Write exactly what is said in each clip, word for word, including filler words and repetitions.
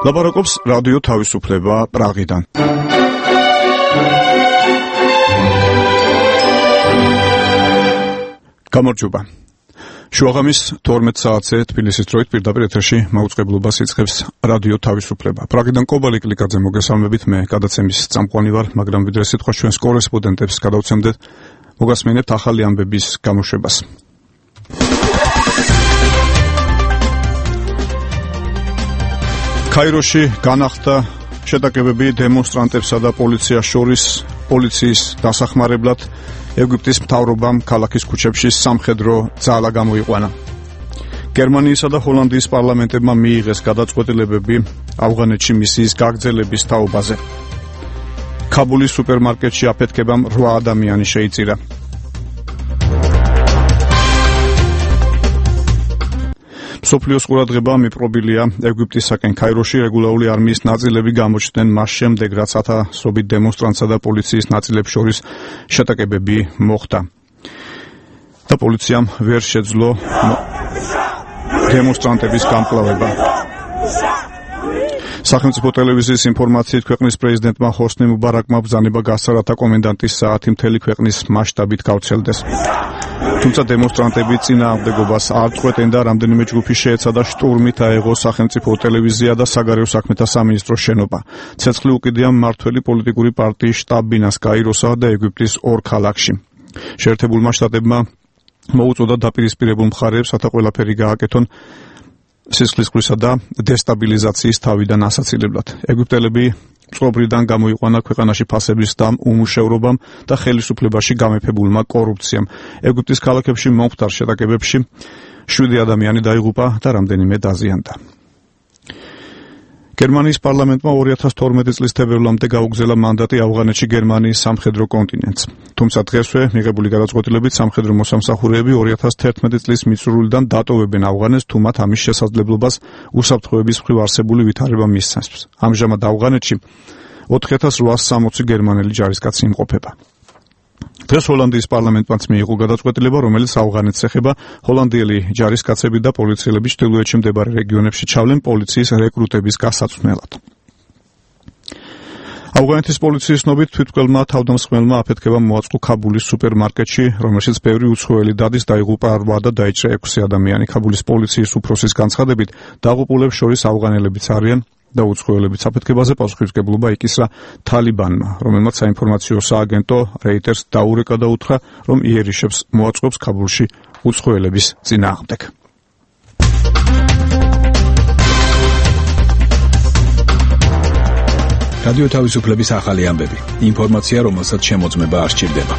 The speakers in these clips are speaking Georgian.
ლაპარაკობს რადიო თავისუფლება პრაღიდან. გამარჯობა. შუაღამის თორმეტ საათზე თბილისის დროით პირდაპირ ეთერში მაუწყებლობას იწყებს რადიო თავისუფლება. პრაღიდან კობალი კლიკაძე მოგესალმებით, მე გადაცემის წამყვანი ვარ, მაგრამ ვიდრე სიტყვა ჩვენს კორესპონდენტებს გადავცემდეთ, მოგასმენებთ ახალი ამბების გამოშვებას. კაიროში განახდა შეტაკებები დემონსტრანტებსა და პოლიციას შორის პოლიციის დასახმარებლად. ეგვიპტის მთავრობამ ქალაქის ქუჩებში სამხედრო ძალა გამოიყვანა. გერმანიისა და ჰოლანდიის პარლამენტებმა მიიღეს გადაწყვეტილებები ავღანეთში მისიის გაგრძელების თაობაზე. ქაბულის სუპერმარკეტში აფეთქებამ რვა ადამიანი შეიწირა. სოფლიოს ყურადღება მიპყრობილია ეგვიპტისაკენ. კაიროში რეგულარული არმიის ნაწილები გამოჩნდნენ მას შემდეგ, რაც ათასობით დემონსტრანტსა და პოლიციის ნაწილებს შორის შეტაკებები მოხდა. და პოლიციამ ვერ შეძლო დემონსტრანტების გამკლავება. სახელმწიფო ტელევიზიის ინფორმაციით ქვეყნის პრეზიდენტმა ჰოსნი მუბარაკმა ბრძანება გასცა, რათა კომენდანტის საათი მთელი ქვეყნის მასშტაბით გავრცელდეს. თუმცა დემონსტრანტები წინააღმდეგობას არ წყვეტენ და რამდენიმე ჯგუფი შეეცადა შტურმით აეღო სახელმწიფო ტელევიზია და საგარეო საქმეთა სამინისტროს შენობა. ცეცხლი უკიდია მმართველი პოლიტიკური პარტიის შტაბ-ბინას კაიროსა და ეგვიპტის ორ ქალაქში. შეერთებულმა შტატებმა მოუწოდა დაპირისპირებულ მხარეებს, რათა ყველაფერი გააკეთონ სისხლისღვრისა და დესტაბილიზაციის თავიდან ასაცილებლად. ეგვიპტელები წყობრიდან გამოიყვანა ქვეყანაში ფასების და უმუშევრობამ და ხელისუფლებაში გამეფებულმა კორუფციამ. ეგვიპტის ქალაქებში მომხდარ შეტაკებებში შვიდი ადამიანი დაიღუპა და რამდენიმე დაზიანდა. გერმანიის პარლამენტმა ორი ათას თორმეტი წლის თებერვლამდე გაუგზავნა მანდატი ავღანეთში გერმანიის სამხედრო კონტინენტს. თუმცა დღესვე მიღებული გადაწყვეტილებით სამხედრო მოსამსახურეები ორი ათას თერთმეტი წლის მიწურულიდან დატოვებენ ავღანეთს, თუ მათ ამის შესაძლებლობას უსაფრთხოების მხრივ არსებული ვითარება მისცემს. ამჟამად ავღანეთში ოთხი ათას რვაას სამოცი გერმანელი ჯარისკაცი იმყოფება. დღეს ჰოლანდიის პარლამენტმაც მიიღო გადაწყვეტილება, რომელიც ავღანეთს ეხება. ჰოლანდიელი ჯარისკაცები და პოლიციელები ჩრდილოეთში მდებარე რეგიონებში ჩავლენ პოლიციის რეკრუტების გასაცვლელად. ავღანეთის პოლიციის ცნობით თვითმკვლელმა თავდამსხმელმა აფეთქება მოაწყო ქაბულის სუპერმარკეტში, რომელშიც ბევრი უცხოელი დადის, დაიღუპა რვა და დაიჭრა ექვსი ადამიანი. ქაბულის პოლიციის უფროსის განცხადებით, დაღუპულებს შორის ავღანელებიც არიან და უცხოელებიც. აფეთქებაზე პასუხისმგებლობა იკისრა თალიბანმა, რომელმაც საინფორმაციო სააგენტო რეიტერს დაურეკა და უთხრა, რომ იერიშებს მოაწყობს ქაბულში უცხოელების წინააღმდეგ. რადიო თავისუფლების ახალი ამბები. ინფორმაცია, რომელსაც შემოწმება არ სჭირდება.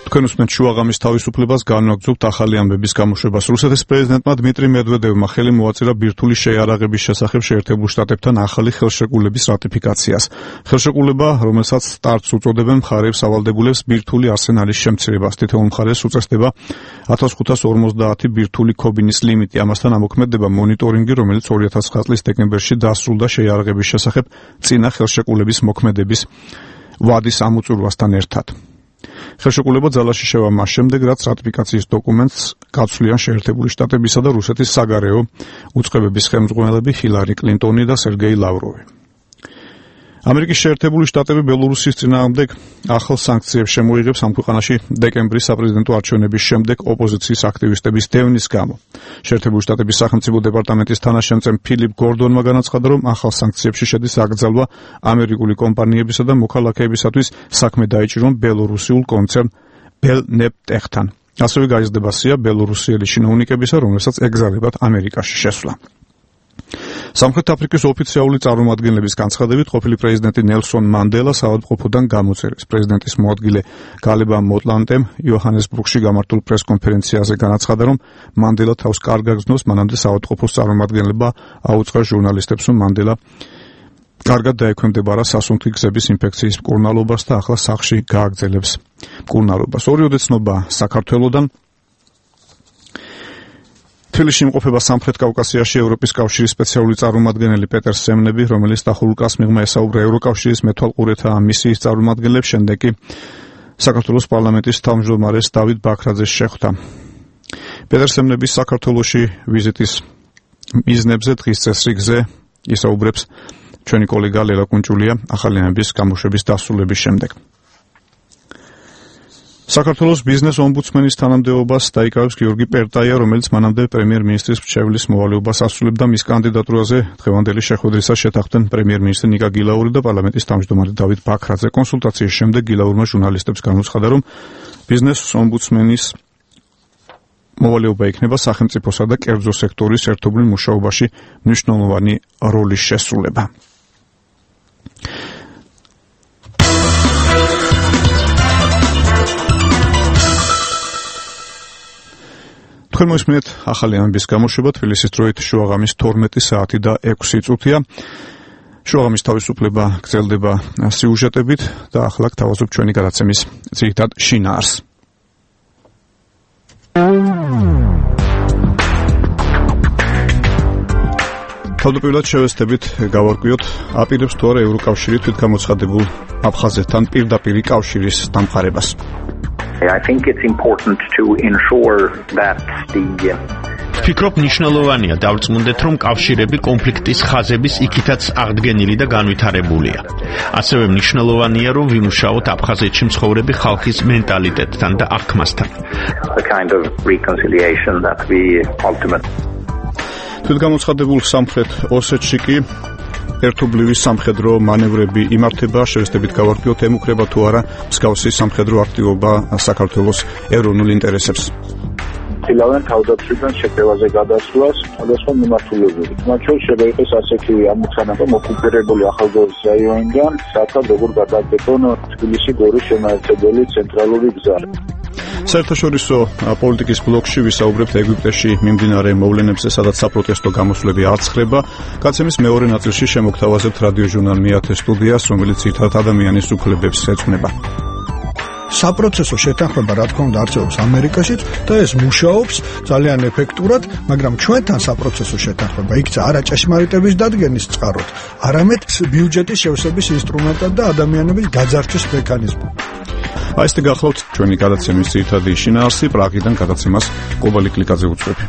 თქვენ უსმენთ შუაღამის თავისუფლებას, განვაგრძობთ ახალი ამბების გამოშვებას. რუსეთის პრეზიდენტმა დმიტრი მედვედევმა ხელი მოაწირა ბირთვული შეიარაღების შესახებ შეერთებულ შტატებთან ახალი ხელშეკრულების რატიფიკაციას. ხელშეკრულება, რომელსაც სტარტს უწოდებენ, მხარეებს ავალდებულებს ბირთვული არსენალის შემცირებას. თითოეულ მხარეს უწესდება ათას ხუთას ორმოცდაათი ბირთვული ქობინის ლიმიტი. ამასთან ამოქმედდება მონიტორინგი, რომელიც ორი ათას ცხრა წლის დეკემბერში დასრულდა შეიარაღების შესახებ წინა ხელშეკრულების მოქმედების ვადის ამოწურვასთან ერთად. ხელშეკრულება ძალაში შევა მას შემდეგ, რაც რატიფიკაციის დოკუმენტს გაცვლიან შეერთებული შტატებისა და რუსეთის საგარეო უწყებების ხელმძღვანელები ჰილარი კლინტონი და სერგეი ლავროვი. ამერიკის შეერთებული შტატები ბელორუსის წინააღმდეგ ახალ სანქციებს შემოიღებს ამ ქვეყანაში დეკემბრის საპრეზიდენტო არჩევნების შემდეგ ოპოზიციის აქტივისტების დევნის გამო. შეერთებული შტატების სახელმწიფო დეპარტამენტის თანაშემწე ფილიპ გორდონმა განაცხადა, რომ ახალ სანქციებში შედის აკრძალვა ამერიკული კომპანიებისა და მოქალაქეებისათვის საქმე დაიჭირონ ბელორუსიულ კონცერნ ბელნეპტეხთან. ასევე გაიზრდება სია ბელორუსიელი ჩინოვნიკებისა, რომელსაც ეგზალებათ ამერიკაში შესვლა. სამხრეთ აფრიკის ოფიციალური წარმომადგენლების განცხადებით, ყოფილი პრეზიდენტი ნელსონ მანდელა საავადმყოფოდან გამოწერეს. პრეზიდენტის მოადგილე გალება მოტლანტემ იოჰანესბურგში გამართულ პრესკონფერენციაზე განაცხადა, რომ მანდელა თავს კარგ აგრძნობს, მანამდე საავადმყოფოს წარმომადგენლება აუწყა ჟურნალისტებს, რომ მანდელა კარგად დაექვემდებარა სასუნთქი გზების ინფექციის მკურნალობას და ახლა სახლში გააგრძელებს მკურნალობას. ორიოდე ცნობა საქართველოდან. თბილისში იმყოფება სამხრეთ კავკასიაში ევროპის კავშირის სპეციალური წარმომადგენელი პეტერ სემნები, რომელიც დახურულ კასმიღმა ესაუბრა ევროკავშირის მეთვალყურეთა მისიის წარმომადგენლებს, შემდეგ კი საქართველოს პარლამენტის თავმჯდომარეს დავით ბაქრაძეს შეხვდა. პეტერსემნების საქართველოში ვიზიტის მიზნებზე დღის წესრიგზე ისაუბრებს ჩვენი კოლეგა ლელა კუნჭულია ახალიანების გამოშვების დასრულების შემდეგ. საქართველოს ბიზნეს ომბუდსმენის თანამდებობას დაიკავებს გიორგი პერტაია, რომელიც მანამდე პრემიერ-მინისტრის მრჩეველის მოვალეობას ასრულებდა. მის კანდიდატურაზე დღევანდელი შეხვედრისას შეთანხმდნენ პრემიერ-მინისტრი ნიკა გილაური და პარლამენტის თავმჯდომარე დავით ბაქრაძე. კონსულტაციის შემდეგ გილაურმა ჟურნალისტებს განუცხადა, რომ ბიზნეს ომბუდსმენის მოვალეობა იქნება სახელმწიფოსა და კერძო სექტორის ერთობლივ მუშაობაში მნიშვნელოვანი როლის შესრულება. თქვენ მოისმინეთ ახალი ამბის გამოშვება თბილისის დროით შუაღამის თორმეტი საათი და ექვსი წუთია. შუაღამის თავისუფლება გრძელდება სიუჟეტებით და ახლა გთავაზობ ჩვენი გადაცემის ძირითად შინაარსს. თავდაპირველად შევეცდებით გავარკვიოთ, აპირებს თუ არა ევროკავშირი თვითგამოცხადებულ აფხაზეთთან პირდაპირი კავშირის დამყარებას. I think it's important to ensure that the ვფიქრობ, მნიშვნელოვანია დავწმუნდეთ, რომ კავშირები კონფლიქტის ხაზების იქითაც აღდგენილი და განვითარებულია. ასევე მნიშვნელოვანია, რომ ვიმუშაოთ აფხაზეთში მცხოვრები ხალხის მენტალიტეტთან და აღქმასთან. the kind of reconciliation that we ultimately თვითგამოცხადებულ სამხრეთ ოსეთში კი ერთობლივი სამხედრო მანევრები იმართება, შევეცდებით გავარკვიოთ, ემუქრება თუ არა მსგავსი სამხედრო აქტივობა საქართველოს ეროვნულ ინტერესებს. ცდილობენ თავდაცვიდან შეტევაზე გადასვლას სხვადასხვა მიმართულებებით. მათ შორის შეიძლება ასეთი ამოცანა მოკუპირებული ახალგაზრდა რაიონიდან, საერთოდ როგორ გადაგებონ თბილისი გორის შემაერთებელი ცენტრალური გზა. საერთაშორისო პოლიტიკის ბლოკში ვისაუბრებთ ეგვიპტეში მიმდინარე მოვლენებზე, სადაც საპროტესტო გამოსვლები არ ცხრება. გაცემის მეორე ნაწილში შემოგთავაზებთ რადიო ჟურნალ მეათე სტუდიას, რომელიც ძირითადად ადამიანის უფლებებს ეძღვნება. საპროცესო შეთანხმება რა თქმა უნდა არსებობს ამერიკაშიც და ეს მუშაობს ძალიან ეფექტურად, მაგრამ ჩვენთან საპროცესო შეთანხმება იქცა არა ჭეშმარიტების დადგენის წყაროდ, არამედ ბიუჯეტის შევსების ინსტრუმენტად და ადამიანების გაძარცვის მექანიზმად. აი ესე გახლავთ ჩვენი გადაცემის ძირითადი შინაარსი, პრაღიდან გადაცემას კობალი კლიკაძე უწევი.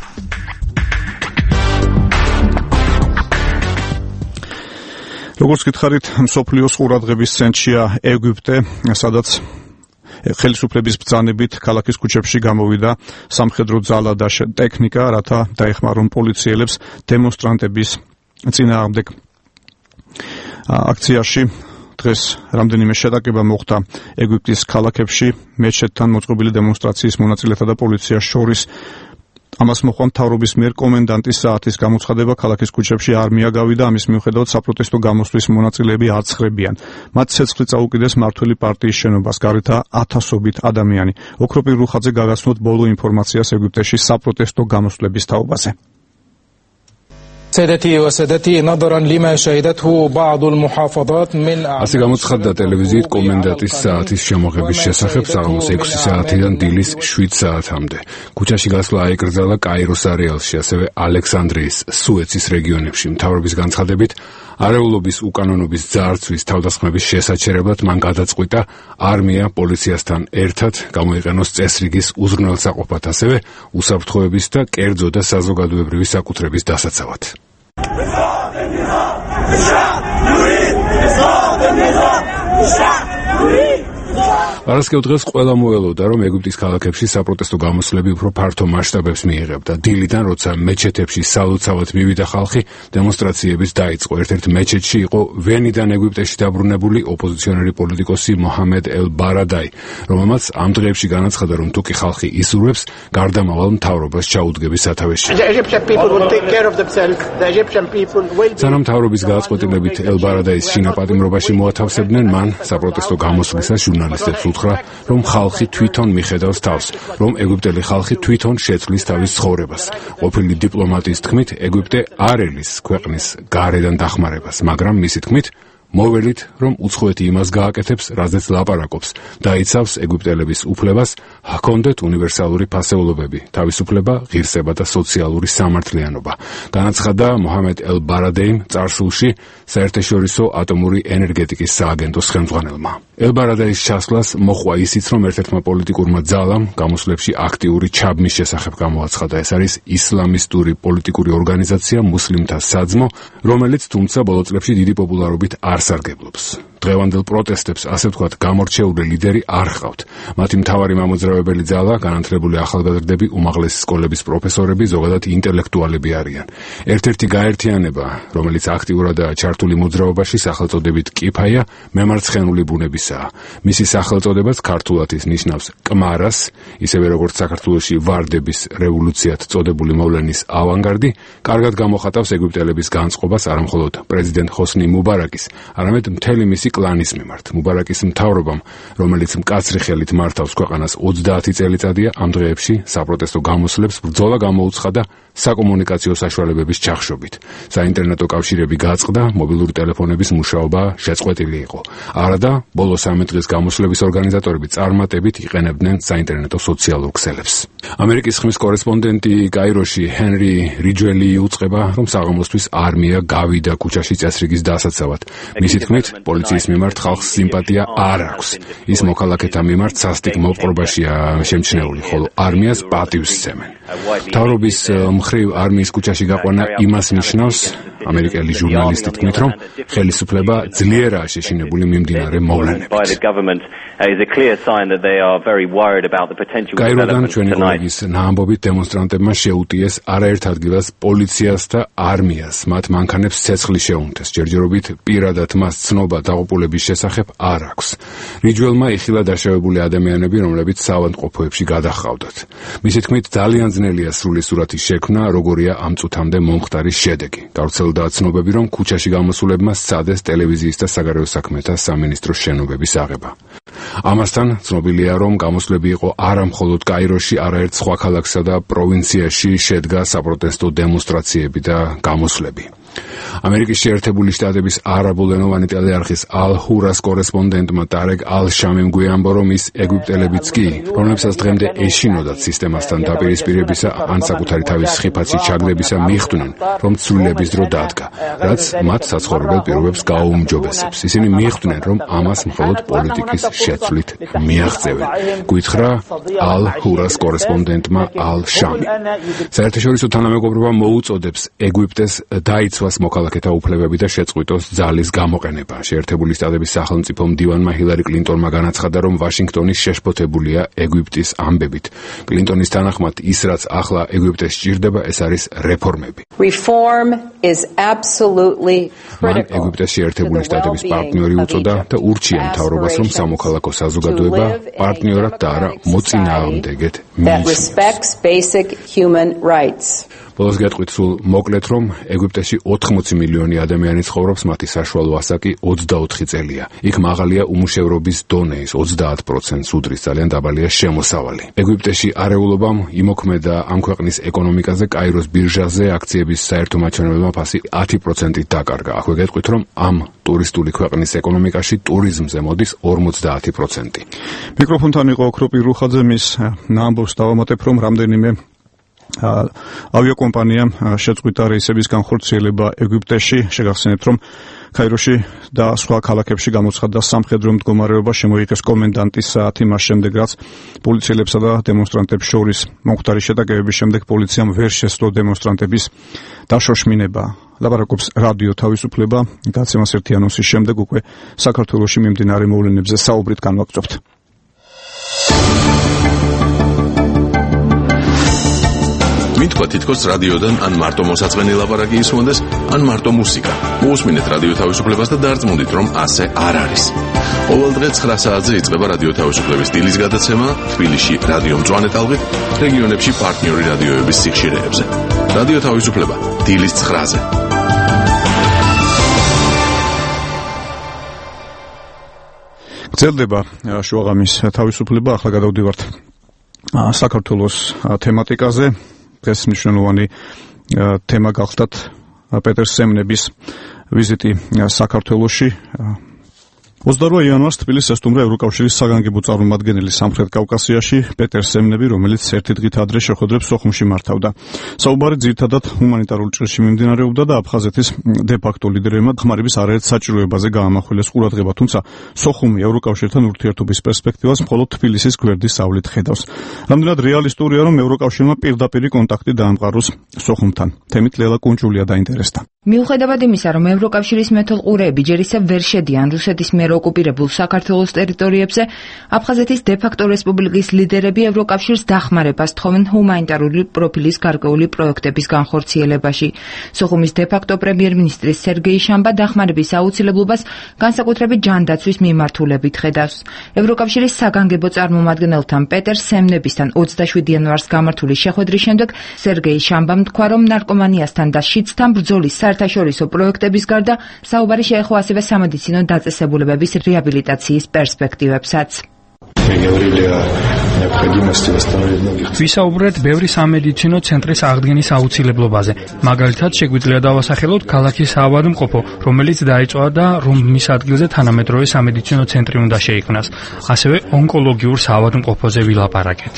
როგორც გითხარით, მსოფლიოს ყურადღების ცენტრშია ეგვიპტე, სადაც ხელისუფლების ბრძანებით ქალაქის ქუჩებში გამოვიდა სამხედრო ძალა და ტექნიკა, რათა დაეხმარონ პოლიციელებს დემონსტრანტების წინააღმდეგ აქციაში. დღეს რამდენიმე შეტაკება მოხდა ეგვიპტის ქალაქებში მეჩეთთან მოწყობილი დემონსტრაციის მონაწილეთა და პოლიციას შორის. ამას მოყვა მთავრობის მიერ კომენდანტის საათის გამოცხადება, ქალაქის ქუჩებში არმია გავიდა, ამის მიუხედავად საპროტესტო გამოსვლის მონაწილეები აცხრებიან. მათ ცეცხლი წაუკიდეს მართველი პარტიის შენობას, გარეთა ათასობით ადამიანი. ოქროპირ რუხაძე გაგაცნოთ ბოლო ინფორმაციას ეგვიპტეში საპროტესტო გამოსვლების თაობაზე. سيدتي وسادتي نظرا لما شهدته بعض المحافظات من ასე გამოცხადდა ტელევიზიით კომენდანტის საათის შემოღების შესახებ საღამოს ექვსი საათიდან დილის შვიდ საათამდე. ქუჩაში გასვლა აიკრძალა კაიროს არეალში, ასევე ალექსანდრიის, სუეცის რეგიონებში. მთავრობის განცხადებით, არეულობის უკანონობის ძარცვის თავდასხმების შესაჩერებლად მან გადაწყვიტა არმია პოლიციასთან ერთად გამოიყენოს წესრიგის უზრუნველსაყოფად, ასევე უსაფრთხოების და კერძო და საზოგადოებრივი საკუთრების დასაცავად. პარასკევ დღეს ყველა მოელოდა, რომ ეგვიპტის ქალაქებში საპროტესტო გამოსვლები უფრო ფართო მასშტაბებს მიიღებდა. დილიდან, როცა მეჩეთებში სალოცავად მივიდა ხალხი, დემონსტრაციების დაიწყო. ერთ-ერთ მეჩეთში იყო ვენიდან ეგვიპტეში დაბრუნებული ოპოზიციონერი პოლიტიკოსი მოჰამედ ელ-ბარადაი, რომელმაც ამ დღეებში განაცხადა, რომ თუკი ხალხი ისურვებს, გარდამავალ მთავრობას ჩაუდგების სათავეში. სანამ მთავრობის გადაწყვეტილებით ელ-ბარადაის შინაპატიმრობაში მოათავსებდნენ, მან საპროტესტო გამოსვლისას ჟურნალისტებს უთხრა, რომ ხალხი თვითონ მიხედავს თავს, რომ ეგვიპტელი ხალხი თვითონ შეცვლის თავის ცხოვრებას. ყოფილი დიპლომატის თქმით, ეგვიპტე არ ელის ქვეყნის გარედან დახმარებას, მაგრამ მისი თქმით, მოველით, რომ უცხოეთი იმას გააკეთებს, რაზეც ლაპარაკობს, დაიცავს ეგვიპტელების უფლებას ჰქონდეთ უნივერსალური ფასეულობები, თავისუფლება, ღირსება და სოციალური სამართლიანობა. განაცხადა მოჰამედ ელ-ბარადეიმ წარსულში საერთაშორისო ატომური ენერგეტიკის სააგენტოს ხელმძღვანელმა. ელ-ბარადეის ჩასვლას მოჰყვა ისიც, რომ ერთ-ერთმა პოლიტიკურმა ძალამ გამოსვლებში აქტიური ჩაბმის შესახებ გამოაცხადა. ეს არის ისლამისტური პოლიტიკური ორგანიზაცია მუსლიმთა საძმო, რომელიც თუმცა ბოლო წლებში დიდი პოპულარობით არ სარგებლობს. დღევანდელ პროტესტებს, ასე ვთქვათ, გამორჩეული ლიდერი არ ჰყავთ. მათი მთავარი მამოძრავებელი ძალა განათლებული ახალგაზრდები, უმაღლესი სკოლების პროფესორები, ზოგადად ინტელექტუალები არიან. ერთ-ერთი გაერთიანება, რომელიც აქტიურადაა ჩართული მოძრაობაში, სახელწოდებით კიფაია, მემარცხენული ბუნებისაა. მისი სახელწოდებაც ქართულად ის ნიშნავს კმარას, ისევე როგორც საქართველოში ვარდების რევოლუციად წოდებული მოვლენის ავანგარდი, კარგად გამოხატავს ეგვიპტელების განწყობას არამხოლოდ პრეზიდენტ ჰოსნი მუბარაკის, არამედ მთელი მისი კლანის მიმართ. მუბარაკის მთავრობამ, რომელიც მკაცრი ხელით მართავს ქვეყანას ოცდაათი წელიწადია, ამ დღეებში საპროტესტო გამოსვლებს ბრძოლა გამოუცხადა საკომუნიკაციო საშუალებების ჩახშობით. საინტერნეტო კავშირები გაწყდა, მობილური ტელეფონების მუშაობა შეწყვეტილი იყო. არადა, ბოლო სამი დღის გამოსვლების ორგანიზატორები წარმატებით იყენებდნენ საინტერნეტო სოციალურ ქსელებს. ამერიკის ხმის კორესპონდენტი კაიროში ჰენრი რიჯველი უწყება, რომ საღამოსთვის არმია გავიდა ქუჩაში წესრიგის დასაცავად. მისი თქმით, პოლიციის მიმართ ხალხს სიმპათია არ აქვს. ის მოქალაქეთა მიმართ სასტიკ მოპყრობაშია შემჩნეული, ხოლო არმიას პატივს სცემენ. მთავრობის მხრივ არმიის ქუჩაში გაყვანა იმას ნიშნავს, ამერიკელი ჟურნალისტი თქმით, რომ ხელისუფლება ძლიერაა შეშინებული მიმდინარე მოვლენებით. კაიროდან ჩვენი კოლეგის ნაამბობით დემონსტრანტებმა შეუტიეს არაერთ ადგილას პოლიციას და არმიას. მათ მანქანებს ცეცხლი შეუნთეს. ჯერჯერობით პირადად მას ცნობა დაღუპულების შესახებ არ აქვს. რიჯველმა იხილა დაშავებული ადამიანები, რომლებიც საავადმყოფოებში გადაჰყავდათ. მისი თქმით, ძალიან ძნელია სრული სურათის შექმნა, როგორია ამ წუთამდე მომხდარი შედეგი. გავრცელდა ცნობები, რომ ქუჩაში გამოსულებმა სცადეს ტელევიზიის და საგარეო საქმეთა სამინისტროს შენობების აღება. ამასთან ცნობილია, რომ გამოსვლები იყო არა მხოლოდ კაიროში, არაერთ სხვა ქალაქსა და პროვინციაში შედგა საპროტესტო დემონსტრაციები და გამოსვლები. ამერიკის შეერთებული შტატების არაბულენოვანი ტელეარხის ალ-ჰურას კორესპონდენტმა ტარეკ ალ-შამიმ გვიამბო, რომ ის ეგვიპტელებიც კი, რომლებსაც დღემდე ეშინოდათ სისტემასთან დაპირისპირებისა ან საკუთარი თავის ხიფათში ჩაგდებისა, მიხვდნენ, რომ ცვლილების დრო დადგა, რაც მათ საცხოვრებელ პირობებს გააუმჯობესებს. ისინი მიხვდნენ, რომ ამას მხოლოდ პოლიტიკის შეცვლით მიაღწევენ. გვითხრა ალ-ჰურას კორესპონდენტმა ალ-შამი. საერთაშორისო თანამეგობრობა მოუწოდებს ეგვიპტეს დაიცვას მოქალაქეთა უფლებები და შეწყვიტოს ძალის გამოყენება. შეერთებული შტატების სახელმწიფო მდივანმა ჰილარი კლინტონმა განაცხადა, რომ ვაშინგტონი შეშფოთებულია ეგვიპტის ამბებით. კლინტონის თანახმად, ის რაც ახლა ეგვიპტეს სჭირდება, ეს არის რეფორმები. Reform is absolutely მან ეგვიპტეს შეერთებული შტატების პარტნიორი უწოდა და ურჩია მთავრობას, რომ სამოქალაქო საზოგადოება პარტნიორად და არა მოწინააღმდეგეთ მიიწვიოს. ბოლოს გეტყვით სულ მოკლედ, რომ ეგვიპტეში ოთხმოცი მილიონი ადამიანი ცხოვრობს, მათი საშუალო ასაკი ოცდაოთხი წელია. იქ მაღალია უმუშევრობის დონე, ის ოცდაათ პროცენტს უდრის, ძალიან დაბალია შემოსავალი. ეგვიპტეში არეულობამ იმოქმედა ამ ქვეყნის ეკონომიკაზე, კაიროს ბირჟაზე აქციების საერთო მაჩვენებელმა ფასი ათი პროცენტით დაკარგა. აქვე გეტყვით, რომ ამ ტურისტული ქვეყნის ეკონომიკაში ტურიზმზე მოდის ორმოცდაათი პროცენტი. მიკროფონთან იყო ოქროპი რუხაძე, მის ნაამბობს დავამატებ, რომ რამდენიმე ავიაკომპანიამ შეწყვიტა რეისების განხორციელება ეგვიპტეში. შეგახსენებთ, რომ კაიროში და სხვა ქალაქებში გამოცხადდა სამხედრო მდგომარეობა, შემოიღეს კომენდანტის საათი, მას შემდეგ, რაც პოლიციელებსა და დემონსტრანტებს შორის მომხდარი შეტაკებების შემდეგ პოლიციამ ვერ შესძლო დემონსტრანტების დაშოშმინება. ლაპარაკობს რადიო თავისუფლება. გაცემას ერთი ანონსის შემდეგ უკვე საქართველოში მიმდინარე მოვლენებზე საუბრით განვაგრძობთ. მითქვა თითქოს რადიოდან ან მარტო მოსაწყენი ლაპარაკი ისმოდეს, ან მარტო მუსიკა. მოусმინეთ რადიო თავისუფლებას და დარწმუნდით, რომ ასე არ არის. ყოველ დღე ცხრა საათზე იწყება რადიო თავისუფლების სტილის გადაცემა თბილისში რადიო მწვანე ტალღით, რეგიონებში პარტნიორი რადიოების სიხშირეებზე. რადიო თავისუფლება დილის ცხრაზე. გრძელდება შუაღამის თავისუფლება. ახლა გადავდივართ საქართველოს თემატიკაზე. დღეს მნიშვნელოვანი თემა გახლდათ პეტერ სემნების ვიზიტი საქართველოში. ოცდაოთხ იანვარს თბილისს ესტუმრა ევროკავშირის საგანგებო წარმომადგენელი სამხრეთ კავკასიაში პეტერ სემნები, რომელიც ერთი დღით ადრე შეხვედრებს სოხუმში მართავდა. საუბარი ძირითადად ჰუმანიტარულ ჭრილში მიმდინარეობდა და აფხაზეთის დე-ფაქტო ლიდერებმა ხმარების არაერთ საჭიროებაზე გაამახვილეს ყურადღება, თუმცა სოხუმი ევროკავშირთან ურთიერთობის პერსპექტივას მხოლოდ თბილისის გვერდისავლით ხედავს. რამდენად რეალისტურია, რომ ევროკავშირმა პირდაპირი კონტაქტი დაამყაროს სოხუმთან? თემით ლელა კუნჭულია დაინტერესდა. მიუხედავად იმისა, რომ ევროკავშირის მეთვალყურეები ჯერ ისევ ვერ შედიან რუსეთის მიერ ოკუპირებულ საქართველოს ტერიტორიებზე, აფხაზეთის დე-ფაქტო რესპუბლიკის ლიდერები ევროკავშირს დახმარებას თხოვენ ჰუმანიტარული პროფილის გარკვეული პროექტების განხორციელებაში. სოხუმის დე-ფაქტო პრემიერ-მინისტრის სერგეი შამბა დახმარების აუცილებლობას განსაკუთრებით ჯანდაცვის მიმართულებით ხედავს. ევროკავშირის საგანგებო წარმომადგენელთან პეტერ სემნებისთან ოცდაშვიდი იანვარს გამართული შეხვედრის შემდეგ სერგეი შამბამ თქვა, რომ ნარკომანიასთან და შიდსთან ბრძოლის საერთაშორისო პროექტების გარდა საუბარი შეეხო ასევე სამედიცინო დაწესებულებების რეაბილიტაციის პერსპექტივებსაც. ვისაუბრეთ ბევრი სამედიცინო ცენტრის აღდგენის აუცილებლობაზე. მაგალითად, შეგვიძლია დავასახელოთ ქალაქის საავადმყოფო, რომელიც დაიწვა და რომ მის ადგილზე თანამედროვე სამედიცინო ცენტრი უნდა შეიქმნას. ასევე ონკოლოგიურ საავადმყოფოზე ვილაპარაკეთ.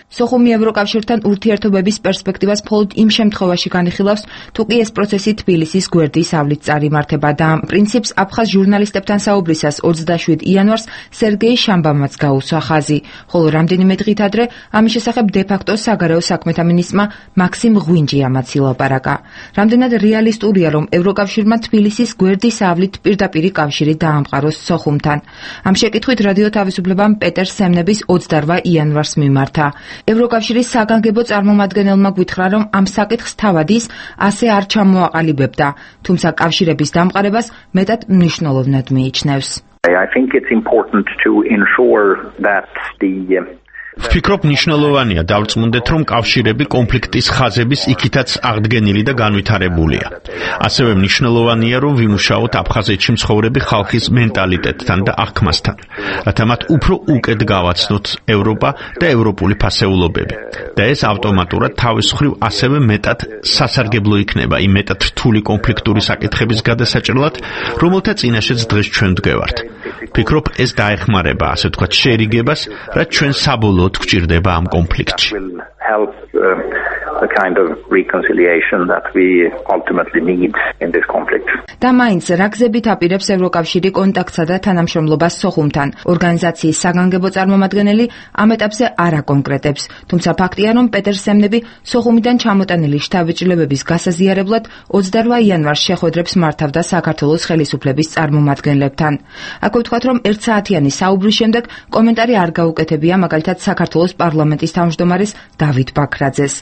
სოხუმი ევროკავშირთან ურთიერთობების პერსპექტივას მხოლოდ იმ შემთხვევაში განიხილავს, თუ კი ეს პროცესი თბილისის გვერდის ავლით წარიმართება და ამ პრინციპს აფხაზ ჟურნალისტებთან საუბრისას ოცდაშვიდ იანვარს სერგეი შამბამაც გაუსვა ხაზი, ხოლო რამდენიმე დღით ადრე ამის შესახებ დე-ფაქტო საგარეო საქმეთა მინისტრმა მაქსიმ ღვინჯიამაც ილაპარაკა. რამდენად რეალისტურია, რომ ევროკავშირმა თბილისის გვერდის ავლით პირდაპირი კავშირი დაამყაროს სოხუმთან? ამ შეკითხვით რადიო თავისუფლებამ პეტერ სემნების ოცდაოთხ იანვარს მიმართა. ევროკავშირის საგანგებო წარმომადგენელმა გვითხრა, რომ ამ საკითხს თავად ის ასე არ ჩამოაყალიბებდა, თუმცა კავშირების დამყარებას მეტად მნიშვნელოვნად მიიჩნევს. I think it's important to ensure that the ვფიქრობ, მნიშვნელოვანია დავწმუნდეთ, რომ კავშირები კონფლიქტის ხაზების იქითაც აღდგენილი და განვითარებულია. ასევე მნიშვნელოვანია, რომ ვიმუშაოთ აფხაზეთში მცხოვრები ხალხის მენტალიტეტთან და აღქმასთან, რათა მათ უფრო უკეთ გავაცნოთ ევროპა და ევროპული ფასეულობები. და ეს ავტომატურად თავის მხრივ ასევე მეტად სასარგებლო იქნება იმ მეტად რთული კონფლიქტური საკითხების გადასაჭრელად, რომელთა წინაშეც დღეს ჩვენ ვდგევართ. ვფიქრობ, ეს დაეხმარება, ასე ვთქვათ, შერიგებას, რაც ჩვენ საბოლოოდ გვჭირდება ამ კონფლიქტში. help uh, the kind of reconciliation that we ultimately need in this conflict. და მაინც რა გზებით აპირებს ევროკავშირი კონტაქტსა და თანამშრომლობას სოხუმთან? ორგანიზაციის საგანგებო წარმომადგენელი ამ ეტაპზე არ აკონკრეტებს, თუმცა ფაქტია, რომ პეტერ სემნები სოხუმიდან ჩამოტანილი შთაბეჭდილებების გასაზიარებლად ოცდაოთხ იანვარს შეხვედრებს მართავდა საქართველოს ხელისუფლების წარმომადგენლებთან. აქვე ვთქვათ, რომ ერთსაათიანი საუბრის შემდეგ კომენტარი არ გაუკეთებია მაგალითად საქართველოს პარლამენტის თავმჯდომარეს დავით ბაქრაძეს.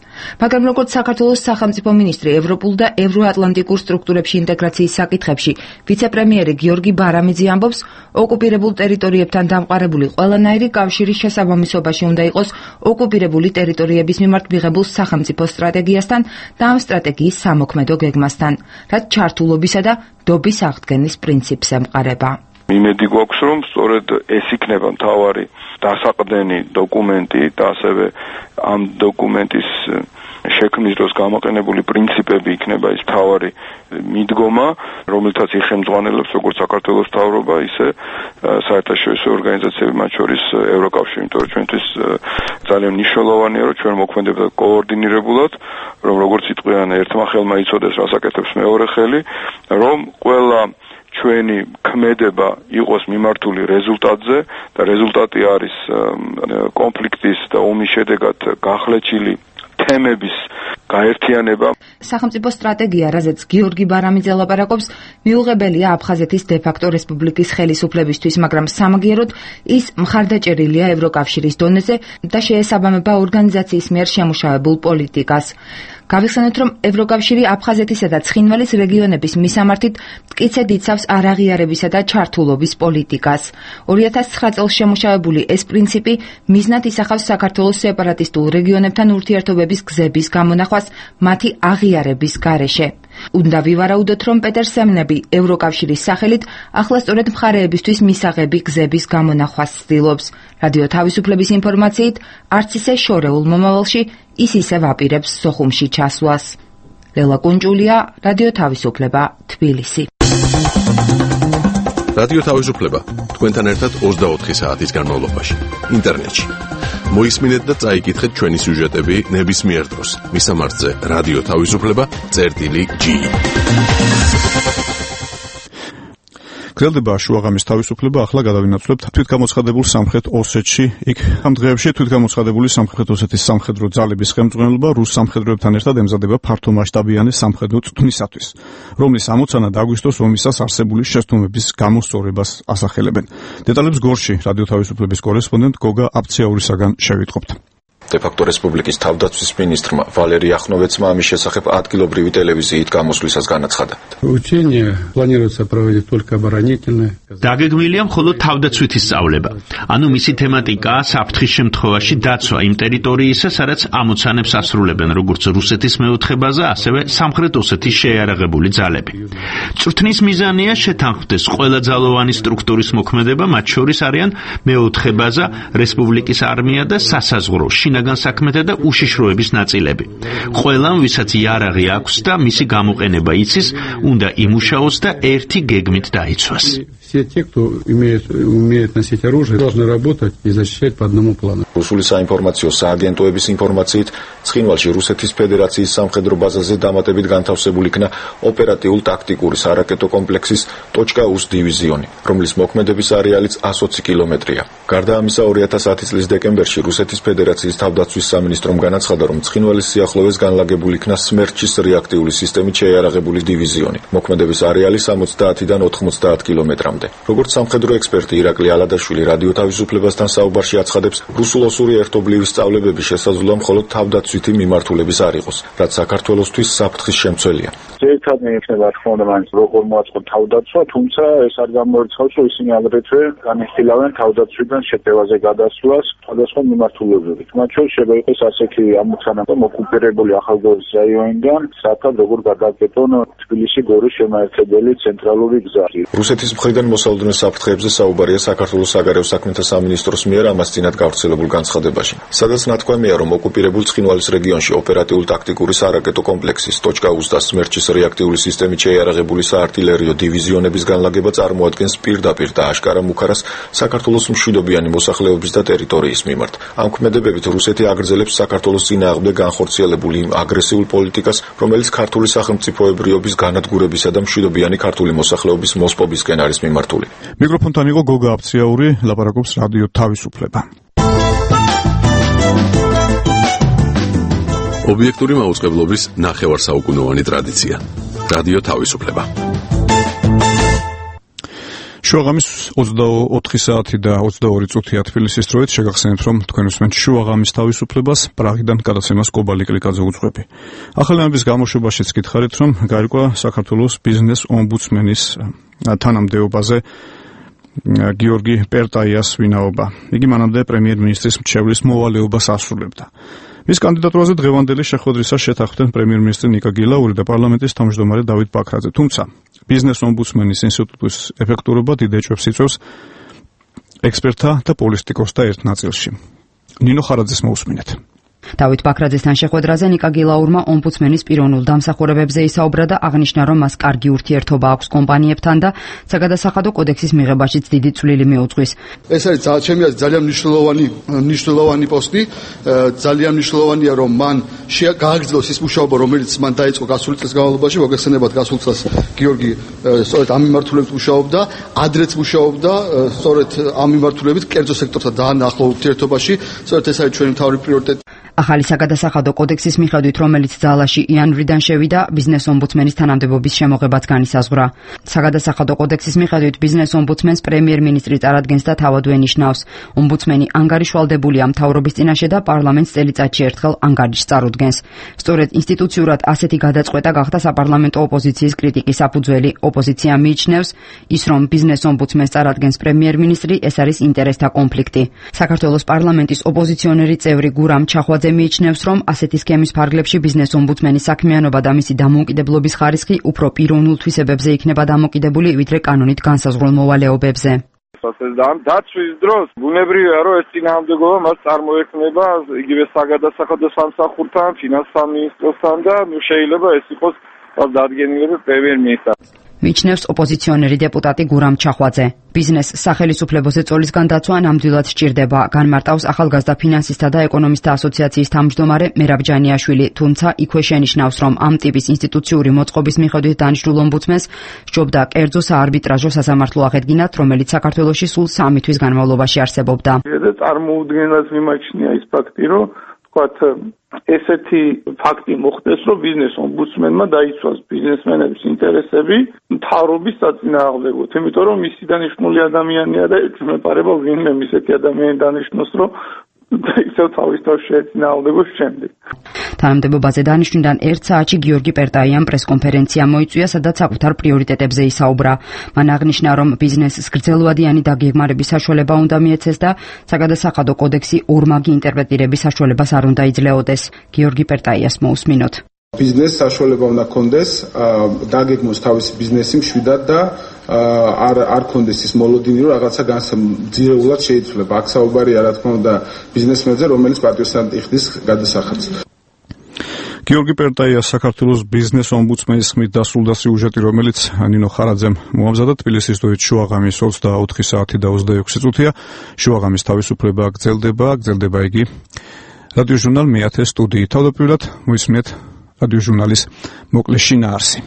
მაგრამ როგორც საქართველოს სახელმწიფო მინისტრი ევროპულ და ევროატლანტიკურ სტრუქტურებში ინტეგრაციის საკითხებში ვიცე-პრემიერი გიორგი ბარამიძე ამბობს, ოკუპირებულ ტერიტორიებთან დამყარებული ყველანაირი კავშირის შესაბამისობაში უნდა იყოს ოკუპირებული ტერიტორიების მიმართ მიღებულ სახელმწიფო სტრატეგიასთან და ამ სტრატეგიის სამოქმედო გეგმასთან, რაც ჩართულობისა და დობის აღდგენის პრინციპს ემყარება. იმედი გვაქვს, რომ სწორედ ეს იქნება მთავარი დასაყრდენი დოკუმენტი და ასევე ამ დოკუმენტის შექმნის დროს გამოყენებული პრინციპები იქნება ის მთავარი მიდგომა, რომელთაც იხელმძღვანელებს როგორც საქართველოს მთავრობა, ისე საერთაშორისო ორგანიზაციები, მათ შორის ევროკავშირი, იმიტომ რომ ჩვენთვის ძალიან მნიშვნელოვანია, რომ ჩვენ მოქმედებდა კოორდინირებულად, რომ როგორც იტყვიან ერთმა ხელმა იცოდეს, რას აკეთებს მეორე ხელი, რომ ყველა ჩვენი ქმედება იყოს მიმართული რეზულტატზე და რეზულტატი არის კონფლიქტის და ომის შედეგად გახლეჩილი თემების გაერთიანება. სახელმწიფო სტრატეგია, რაზეც გიორგი ბარამიძე ლაპარაკობს, მიუღებელია აფხაზეთის დე-ფაქტო რესპუბლიკის ხელისუფლებისთვის, მაგრამ სამაგიეროდ ის მხარდაჭერილია ევროკავშირის დონეზე და შეესაბამება ორგანიზაციის მიერ შემუშავებულ პოლიტიკას. გავიხსენოთ, რომ ევროკავშირი აფხაზეთისა და ცხინვალის რეგიონების მისამართით მტკიცედ იცავს არაღიარებისა და ჩართულობის პოლიტიკას. ორი ათას ცხრა წელს შემუშავებული ეს პრინციპი მიზნად ისახავს საქართველოს სეპარატისტულ რეგიონებთან ურთიერთობების გზების გამონახვას მათი აღიარების გარეშე. უნდა ვივარაუდოთ, რომ პეტერ სემნები ევროკავშირის სახელით ახლა სწორედ მხარეებისთვის მისაღები გზების გამონახვას ცდილობს. რადიო თავისუფლების ინფორმაციით, არც ისე შორეულ მომავალში ის ისევ აპირებს სოხუმში ჩასვლას. ლელა კუნჭულია, რადიო თავისუფლება, თბილისი. რადიო თავისუფლება თქვენთან ერთად ოცდაოთხი საათის განმავლობაში ინტერნეტში. მოისმინეთ და წაიკითხეთ ჩვენი სიუჟეტები ნებისმიერ დროს. მისამართზე რადიო თავისუფლება წერტილი ჯი. გრძელდება შუაღამის თავისუფლება, ახლა გადავინაცვლებთ თვითგამოცხადებულ სამხრეთ ოსეთში. იქ ამ დღეებში თვითგამოცხადებული სამხრეთ ოსეთის სამხედრო ძალების ხელმძღვანელობა რუს სამხედროებთან ერთად ემზადება ფართომასშტაბიანი სამხედრო წვრთნისათვის, რომლის ამოცანად აგვისტოს ომისას არსებული შეცდომების გამოსწორებას ასახელებენ. დეტალებს გორში რადიო თავისუფლების კორესპონდენტ გოგა აბციაურისაგან შევიტყობთ. დე-ფაქტო რესპუბლიკის თავდაცვის მინისტრმა ვალერი ახნოვეცმა ამის შესახებ ადგილობრივი ტელევიზიით გამოსვლისას განაცხადა. Учения планируется проводить только оборонительные. დაგეგმილია მხოლოდ თავდაცვითი სწავლება. ანუ მისი თემატიკაა საფრთხის შემთხვევაში დაცვა იმ ტერიტორიისა, სადაც ამოცანებს ასრულებენ როგორც რუსეთის მეოთხედბაზე, ასევე სამხრეთ ოსეთის შეიარაღებული ძალები. წვრთნის მიზანია შეთანხმდეს ყველა ძალოვანი სტრუქტურის მოქმედება, მათ შორის არიან მეოთხედბაზე, რესპუბლიკის არმია და სასაზღვრო შინაგან საქმეთა და უშიშროების ნაწილები. ყველამ, ვისაც იარაღი აქვს და მისი გამოყენება იცის, უნდა იმუშაოს და ერთი გეგმით დაიცვას. Все те, кто имеет, умеет носить оружие, должны работать и защищать по одному плану. რუსული საინფორმაციო სააგენტოების ინფორმაციით, ცხინვალში რუსეთის ფედერაციის სამხედრო ბაზაზე დამატებით განთავსებული იქნა ოპერატიულ-ტაქტიკური სარაკეტო კომპლექსის .უს დივიზიონი, რომლის მოქმედების არეალიც ასოცი კილომეტრია. გარდა ამისა, ორი ათას ათი წლის დეკემბერში რუსეთის ფედერაციის თავდაცვის სამინისტრომ განაცხადა, რომ ცხინვალის სიახლოვეს განლაგებული იქნა სმერჩის რეაქტიული სისტემით შეიარაღებული დივიზიონი. მოქმედების არეალი სამოცდაათიდან ოთხმოცდაათ კილომეტრამდე. როგორც სამხედრო ექსპერტი ირაკლი ალადაშვილი რადიო თავისუფლებასთან საუბარში აცხადებს, რუსულ-ოსური ერთობლივი სწავლებების შესაძლოა მხოლოდ თავდაცვითი მიმართულების არ იყოს, რაც საქართველოსთვის საფრთხის შემცველია. ძირითადად იქნება თქმა უნდა მაინც როგორ მოაწყო თავდაცვა, თუმცა ეს არ გამოირცხავს, რომ ისინი აგრეთვე განიხილავენ თავდაცვიდან შეტევაზე გადასვლას სხვადასხვა მიმართულებებით. მათ შორის შეიძლება იყოს ასეთი ამოცანა, რომ ოკუპირებული ახალგორის რაიონიდან საათად როგორ გადაგეტონ თბილისი-გორის შემაერთებელი ცენტრალური გზა. რუსეთის მხრიდან მოსალოდნელ საფრთხეებზე საუბარია საქართველოს საგარეო საქმეთა სამინისტროს მიერ ამას წინათ გავრცელებულ განცხადებაში. სადაც ნათქვამია, რომ ოკუპირებულ ცხინვალის რეგიონში ოპერატიულ-ტაქტიკური სარაკეტო კომპლექსის .უს და სმერჩის რეაქტიული სისტემით შეიარაღებული საარტილერიო დივიზიონების განლაგება წარმოადგენს პირდაპირ და აშკარა მუქარას საქართველოს მშვიდობიანი მოსახლეობის და ტერიტორიის მიმართ. ამ ქმედებებით რუსეთი აგრძელებს საქართველოს წინააღმდეგ განხორციელებული იმ აგრესიულ პოლიტიკას, რომელიც ქართული სახელმწიფოებრიობის განადგურებისა და მშვიდობიანი ქართული მოსახლეობის მოსპობისკენ არის მიმართული. მიკროფონთან იყო გოგა აბციაური, ლაპარაკობს რადიო თავისუფლება. ობიექტური მაუწყებლობის ნახევარსაუკუნოვანი ტრადიცია. რადიო თავისუფლება. შუაღამის ოცდაოთხი საათი და ოცდაორი წუთია თბილისის დროით. შეგახსენებთ, რომ თქვენ უსმენთ შუაღამის თავისუფლებას, პრაღიდან გადაცემას კობალი კლიკაძე უძღვები. ახალი ამბის გამოშვებაშიც გითხარით, რომ გაირკვა საქართველოს ბიზნეს ომბუდსმენის თანამდებობაზე გიორგი პერტაიას ვინაობა. იგი მანამდე პრემიერ-მინისტრის მრჩევლის მოვალეობას ასრულებდა. მის კანდიდატურაზე დღევანდელი შეხვედრისას შეთანხმდნენ პრემიერ-მინისტრი ნიკა გილაური და პარლამენტის თავმჯდომარე დავით ბაქრაძე. თუმცა ბიზნეს ომბუდსმენის ინსტიტუტის ეფექტურობა დიდ ეჭვებს იწვევს ექსპერტთა და პოლიტიკოსთა ერთ ნაწილში. ნინო ხარაძეს მოусმინეთ. დავით ბაქრაძესთან შეხვედრაზე ნიკა გილაურმა ომბუდსმენის პიროვნულ დამსახურებებზე ისაუბრა და აღნიშნა, რომ მას კარგი ურთიერთობა აქვს კომპანიებთან და საგადასახადო კოდექსის მიღებაშიც დიდი წვლილი მიუძღვის. ეს არის ჩემი აზრით ძალიან მნიშვნელოვანი მნიშვნელოვანი პოსტი, ძალიან მნიშვნელოვანია, რომ მან გააგრძელოს ის მუშაობა, რომელიც მან დაიწყო გასული წლის განმავლობაში, მოგეხსენებათ გასულ წელს გიორგი სწორედ ამ მიმართულებით მუშაობდა, ადრეც მუშაობდა, სწორედ ამ მიმართულებით კერძო სექტორთან ძალიან ახლო ურთიერთობაში, სწორედ ეს არის ჩვენი მთავარი პრიორიტეტი. ახალი საგადასახადო კოდექსის მიხედვით, რომელიც ძალაში იანვრიდან შევიდა, ბიზნეს ომბუდსმენის თანამდებობის შემოღებაც განისაზღვრა. საგადასახადო კოდექსის მიხედვით, ბიზნეს ომბუდსმენს პრემიერ-მინისტრი წარადგენს და თავად ენიშნავს. ომბუდსმენი ანგარიშვალდებულია მთავრობის წინაშე და პარლამენტს წელიწადში ერთხელ ანგარიშს წარუდგენს. სწორედ ინსტიტუციურად ასეთი გადაწყვეტა გახდა საპარლამენტო ოპოზიციის კრიტიკის საფუძველი. ოპოზიცია მიიჩნევს, ის რომ ბიზნეს ომბუდსმენს წარადგენს პრემიერ-მინისტრი, ეს არის ინტერესთა კონფლიქტი. საქართველოს პარლამენტის ოპოზიციონერი წევრი გურამ ჩახვაძე მიიჩნევს, რომ ასეთი სქემის ფარგლებში ბიზნეს ომბუდსმენის საქმიანობა და მისი დამოუკიდებლობის ხარისხი უფრო პიროვნულ თვისებებზე იქნება დამოკიდებული, ვიდრე კანონით განსაზღვრულ მოვალეობებზე. ასე და ამ დაცვის დროს ბუნებრივია რომ ეს წინააღმდეგობა მას წარმოექმნება იგივე საგადასახადო სამსახურთან, ფინანსთა მინისტროსთან და ნუ შეიძლება ეს იყოს დადგენილები პრემიერ-მინისტრს. მიჩნევს ოპოზიციონერი დეპუტატი გურამ ჩახვაძე. ბიზნეს სახელმწიფოზე წოლისგან დაცვა ნამდვილად სჭირდება, განმარტავს ახალგაზრდა ფინანსისტთა და ეკონომისტთა ასოციაციის თავმჯდომარე მერაბ ჯანიაშვილი, თუმცა იქვე შენიშნავს, რომ ამ ტიპის ინსტიტუციური მოწყობის მიხედვით დანიშნულ ომბუდსმენს სჯობდა კერძო საარბიტრაჟო სასამართლო აღედგინათ, რომელიც საქართველოში სულ სამი თვის განმავლობაში არსებობდა. წარმოუდგენლად მიმაჩნია ის ფაქტი, რომ ვთქვათ, ესეთი ფაქტი მოხდეს, რომ ბიზნეს ომბუდსმენმა დაიცვას ბიზნესმენების ინტერესები მთავრობის საწინააღმდეგოდ, იმიტომ რომ მისი დანიშნული ადამიანია და ეწმეპარება ვინმე ისეთი ადამიანი დანიშნოს, რომ ისევ თავის თავს შეეწინააღმდეგოს შემდეგ. თანამდებობაზე დანიშვნიდან ერთ საათში გიორგი პერტაიამ პრესკონფერენცია მოიწვია, სადაც საკუთარ პრიორიტეტებზე ისაუბრა. მან აღნიშნა, რომ ბიზნესს გრძელვადიანი დაგეგმარების საშუალება უნდა მიეცეს და საგადასახადო კოდექსი ორმაგი ინტერპრეტირების საშუალებას არ უნდა იძლეოდეს. გიორგი პერტაიას მოусმინოთ. ბიზნესს საშუალება უნდა კონდეს დაგეგმოს თავისი ბიზნესი მშვიდად და არ არ კონდეს ის მოლოდინი, რომ რაღაცა განსამძირეულად შეიცვლება. აქ საუბარია, რა თქმა უნდა, ბიზნესმენზე, რომელიც პატიოსანტი ხდის გადასახადს. გიორგი პერტაია საქართველოს ბიზნეს ომბუდსმენის ხმით დასრულდა სიუჟეტი, რომელიც ნინო ხარაძემ მოამზადა. თბილისის დოით შუაღამის ოცდაოთხი საათი და ოცდაექვსი წუთია. შუაღამის თავისუფლება გრძელდება, გრძელდება იგი რადიოჟურნალ მეათე სტუდიით. თავდაპირველად მოისმინეთ რადიოჟურნალის მოკლე შინაარსი.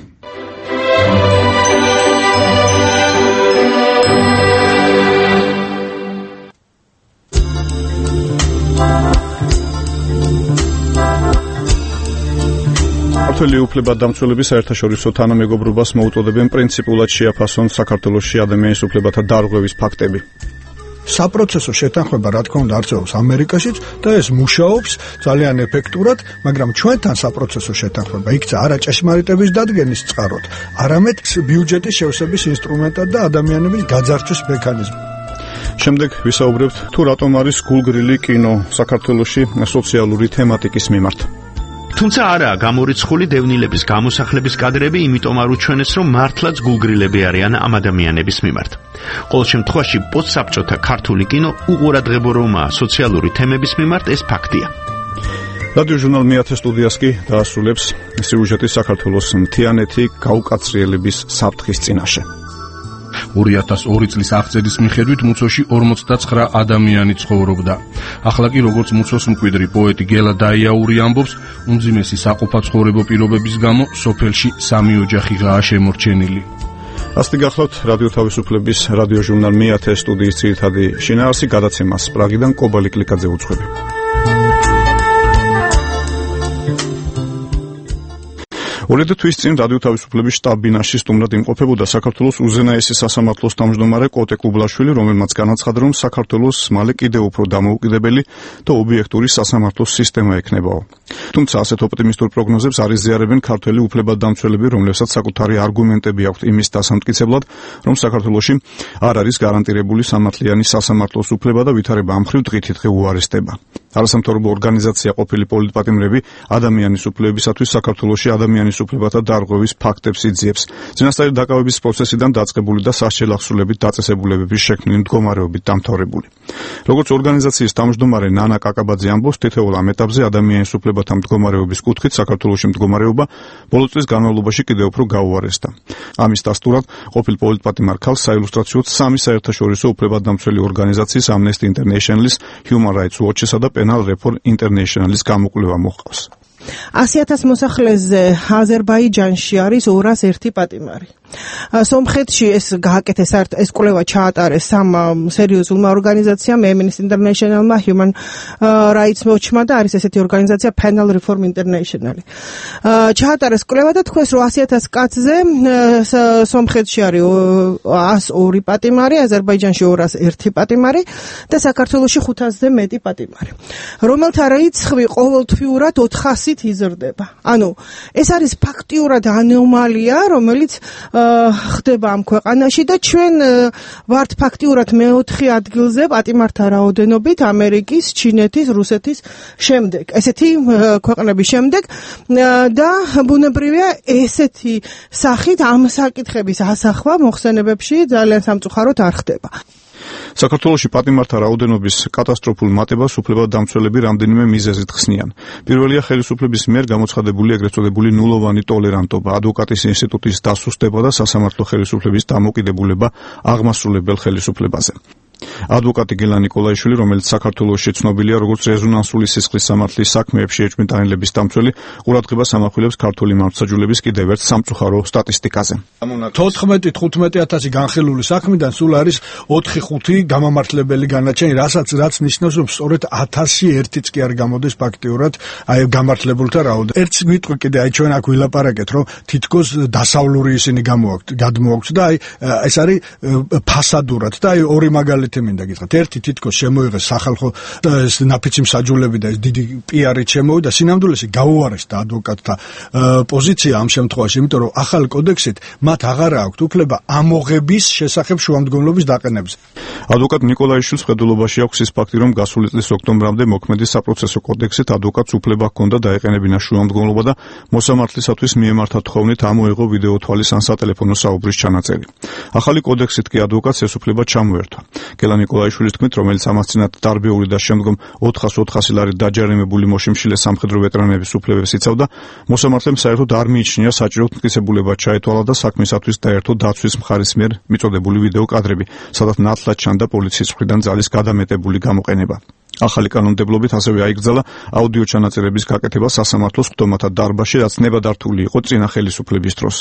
ქართველი უფლებადამცველები საერთაშორისო თანამეგობრობას მოუწოდებენ პრინციპულად შეაფასონ საქართველოში ადამიანის უფლებათა დარღვევის ფაქტები. საპროცესო შეთანხმება რა თქმა უნდა არსებობს ამერიკაშიც და ეს მუშაობს ძალიან ეფექტურად, მაგრამ ჩვენთან საპროცესო შეთანხმება იქცა არა ჭეშმარიტების დადგენის წყაროდ, არამედ ბიუჯეტის შევსების ინსტრუმენტად და ადამიანების გაძარცვის მექანიზმად. შემდეგ ვისაუბრებთ თუ რატომ არის გულგრილი კინო საქართველოში სოციალური თემატიკის მიმართ. თუმცა არაა გამორიცხული დევნილების გამოსახლების კადრები, იმიტომ არ უჩვენეს, რომ მართლაც გულგრილები არიან ამ ადამიანების მიმართ. ყოველ შემთხვევაში პოსტსაბჭოთა ქართული კინო უყურადღებო რომაა სოციალური თემების მიმართ, ეს ფაქტია. რადიოჟურნალ მეათე სტუდიას კი დაასრულებს სიუჟეტი საქართველოს მთიანეთი გაუკაცრიელების საფრთხის წინაშე. ორი ათას ორი წლის აღწერის მიხედვით მუცოში ორმოცდაცხრა ადამიანი ცხოვრობდა. ახლა კი როგორც მუცოს მკვიდრი პოეტი გელა დაიაური ამბობს, უმძიმესი საყოფაცხოვრებო პირობების გამო სოფელში სამი ოჯახიღაა შემორჩენილი. ასეთი გახლავთ რადიო თავისუფლების რადიოჟურნალ მეათე სტუდიის ძირითადი შინაარსი, გადაცემას პრაღიდან კობალი კლიკაძე უძღვები. ორიათი თვის წინ რადიო თავისუფლების შტაბ-ბინაში სტუმრად იმყოფებოდა საქართველოს უზენაესი სასამართლოს თავმჯდომარე კოტე კუბლაშვილი, რომელმაც განაცხადა, რომ საქართველოს მალე კიდევ უფრო დამოუკიდებელი და ობიექტური სასამართლოს სისტემა ექნებაო. თუმცა ასეთ ოპტიმისტურ პროგნოზებს არ იზიარებენ ქართველი უფლებადამცველები, რომლებსაც საკუთარი არგუმენტები აქვთ იმის დასამტკიცებლად, რომ საქართველოში არ არის გარანტირებული სამართლიანი სასამართლოს უფლება და ვითარება ამ მხრივ დღითიდღე უარესდება. არასამთავრობო ორგანიზაცია ყოფილი პოლიტპატიმრები ადამიანის უფლებებისათვის საქართველოში ადამიანის უფლებათა დარღვევის ფაქტებს იძიებს. წინასწარი დაკავების პროცესიდან დაწყებული და სასჯელ ახსულებით დაწესებულებების შექმნილი მდგომარეობით დამთავრებული. როგორც ორგანიზაციის თავმჯდომარე ნანა კაკაბაძე ამბობს, თითოეულ ამ ეტაპზე ადამიანის უფლებათა მდგომარეობის კუთხით საქართველოში მდგომარეობა ბოლო წლის განმავლობაში კიდევ უფრო გაუარესდა. ამის დასტურად ყოფილ პოლიტპატიმარ ქალს საილუსტრაციოდ სამი საერთაშორისო უფლებადამცველი ორგანიზაციის Amnesty International-ის, Human Rights Watch-ისა და Penal Reform International-ის გამოკვლევა მოჰყავს. ასი ათას მოსახლეზე აზერბაიჯანში არის ორას ერთი პატიმარი. სომხეთში ეს გააკეთეს ეს კვლევა ჩაატარეს სამ სერიოზულმა ორგანიზაციამ, Amnesty International-მა, Human Rights Watch-მა და არის ესეთი ორგანიზაცია Penal Reform International. ჩაატარეს კვლევა და თქვენს რომ ასი ათას კაცზე სომხეთში არის ას ორი პატიმარი, აზერბაიჯანში ორას ერთი პატიმარი და საქართველოში ხუთასზე მეტი პატიმარი. რომელთა რიცხვი ყოველთვიურად ოთხასით იზრდება. ანუ ეს არის ფაქტიურად ანომალია, რომელიც ხდება ამ ქვეყანაში და ჩვენ ვართ ფაქტიურად მეოთხე ადგილზე პატიმართა რაოდენობით ამერიკის, ჩინეთის, რუსეთის შემდეგ. ესეთი ქვეყნების შემდეგ და ბუნებრივია ესეთი სახით ამ საკითხების ასახვა მოხსენებებში ძალიან სამწუხაროდ არ ხდება. საქართველოში პატიმართა რაოდენობის კატასტროფულ მატებას უფლებადამცველები რამდენიმე მიზეზით ხსნიან. პირველია ხელისუფლების მიერ გამოცხადებული ეგრეთ წოდებული ნულოვანი ტოლერანტობა, ადვოკატის ინსტიტუტის დასუსტება და სასამართლო ხელისუფლების დამოკიდებულება აღმასრულებელ ხელისუფლებაზე. ადვოკატი გელა ნიკოლაიშვილი, რომელიც საქართველოში ცნობილია როგორც რეზონანსული სისხლის სამართლის საქმეებში ეჭვმიტანილების დამცველი, ყურადღებას ამახვილებს ქართული მართლმსაჯულების კიდევ ერთ სამწუხარო სტატისტიკაზე. თოთხმეტი თხუთმეტი ათასი განხილული საქმიდან სულ არის ოთხი ხუთი გამამართლებელი განაჩენი, რასაც რაც ნიშნავს, რომ სწორედ ათასი ერთიც კი არ გამოდის ფაქტიურად აი გამართლებულთა რაოდენობა. ერთს მიტყვი კიდე აი ჩვენ აქ ვილაპარაკეთ, რომ თითქოს დასავლური ისინი გამოაქვთ, გადმოაქვთ და აი ეს არის ფასადურად და აი ორი მაგალითი მინდა გითხრათ. ერთი თითქოს შემოიღეს სახალხო ეს ნაფიცი მსაჯულები და ეს დიდი პიარით შემოვიდა, სინამდვილეში გაუარესდა ადვოკატთა პოზიცია ამ შემთხვევაში, იმიტომ რომ ახალ კოდექსით მათ აღარ აქვთ უფლება ამოღების შესახებ შუამდგომლობის დაყენებზე. ადვოკატ ნიკოლაიშვილის ხედულობაში აქვს ის ფაქტი, რომ გასული წლის ოქტომბრამდე მოქმედი საპროცესო კოდექსით ადვოკატს უფლება ჰქონდა დაეყენებინა შუამდგომლობა და მოსამართლისათვის მიემართა თხოვნით ამოეღო ვიდეო თვალის ან სატელეფონო საუბრის ჩანაწერი. ახალი კოდექსით კი ადვოკატს ეს უფლება ჩამოერთვა. გელა ნიკოლაიშვილის თქმით, რომელიც ამას წინათ დარბეული და შემდგომ ოთხას ოთხასი ლარით დაჯარიმებული მოშიმშილე სამხედრო ვეტერანების უფლებებს იცავდა, მოსამართლემ საერთოდ არ მიიჩნია საჭიროდ მტკიცებულება ჩაეთვალა და საქმისათვის დაერთო დაცვის მხარის მიერ მიწოდებული ვიდეო კადრები, სადაც ნათლად ჩანდა პოლიციის მხრიდან ძალის გადამეტებული გამოყენება. ახალი კანონმდებლობით ასევე აიგრძალა აუდიო ჩანაწერების გაკეთება სასამართლოს ხდომათა დარბაზში, რაც ნებადართული იყო წინა ხელისუფლების დროს.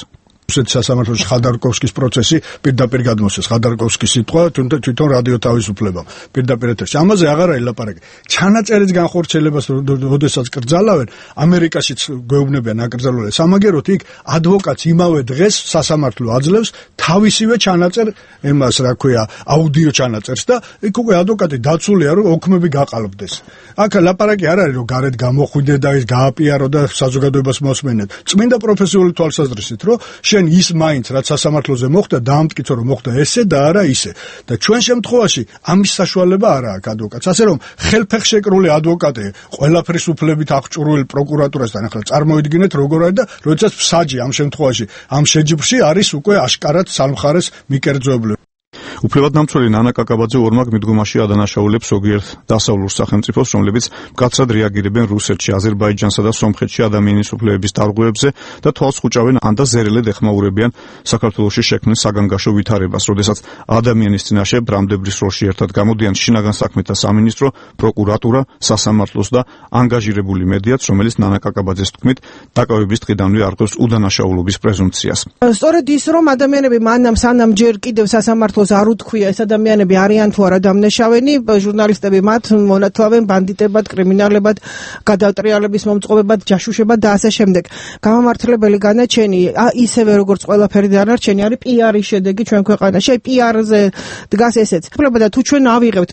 რუსეთის სასამართლოში ხადარკოვსკის პროცესი პირდაპირ გადმოსცეს. ხადარკოვსკის სიტყვა თვითონ რადიო თავისუფლებამ პირდაპირ ეთერში. ამაზე აღარა ელაპარაკე. ჩანაწერის განხორციელებას როდესაც კრძალავენ, ამერიკაშიც გვეუბნებიან აკრძალული. სამაგეროთ იქ ადვოკატს იმავე დღეს სასამართლო აძლევს თავისივე ჩანაწერ, ემას რა ქვია, აუდიო ჩანაწერს და იქ უკვე ადვოკატი დაცულია, რომ ოქმები გაყალბდეს. აქ ლაპარაკი არ არის, რომ გარეთ გამოხვიდე და ის გააპიარო და საზოგადოებას მოსმენეთ. წმინდა პროფესიული თვალსაზრისით, რომ შენ ის მაინც რაც სასამართლოზე მოხდა დაამტკიცო რომ მოხდა ესე და არა ისე და ჩვენ შემთხვევაში ამის საშუალება არ აქვს ადვოკატს, ასე რომ ხელფეხშეკრული ადვოკატი ყველაფრის უფლებით აღჭურვილ პროკურატურასთან ახლა წარმოიდგინეთ როგორ არის და როდესაც ფსაჯი ამ შემთხვევაში ამ შეჯიბრში არის უკვე აშკარად სამხარეს მიკერძოებული. უფლებადამცველი ნანა კაკაბაძე ორმაგ მიდგომაში ადანაშაულებს ზოგიერთ დასავლურ სახელმწიფოს, რომლებიც მკაცრად რეაგირებენ რუსეთში, აზერბაიჯანსა და სომხეთში ადამიანის უფლებების დარღვევებზე და თვალს ხუჭავენ ან და ზერელედ ეხმაურებიან საქართველოში შექმნილ საგანგაშო ვითარებას, როდესაც ადამიანის წინაშე ბრამდებრის როლში ერთად გამოდიან შინაგან საქმეთა სამინისტრო, პროკურატურა, სასამართლოს და ანგაჟირებული მედიაც, რომელიც ნანა კაკაბაძეს თქმით დაკავების დღიდანვე არღვევს უდანაშაულობის პრეზუმპციას. სწორედ ის, რომ ადამიანები მანამ სანამ ჯერ კიდევ სასამართლოს არ უთქვია ეს ადამიანები არიან თუ არა დამნაშავენი, ჟურნალისტები მათ მონათლავენ ბანდიტებად, კრიმინალებად, გადატრიალების მომწყობებად, ჯაშუშებად და ასე შემდეგ. გამამართლებელი განაჩენი ისევე როგორც ყველაფერი დანარჩენი არის პიარის შედეგი ჩვენ ქვეყანაში. აი პიარზე დგას ესეც. უფლება და თუ ჩვენ ავიღებთ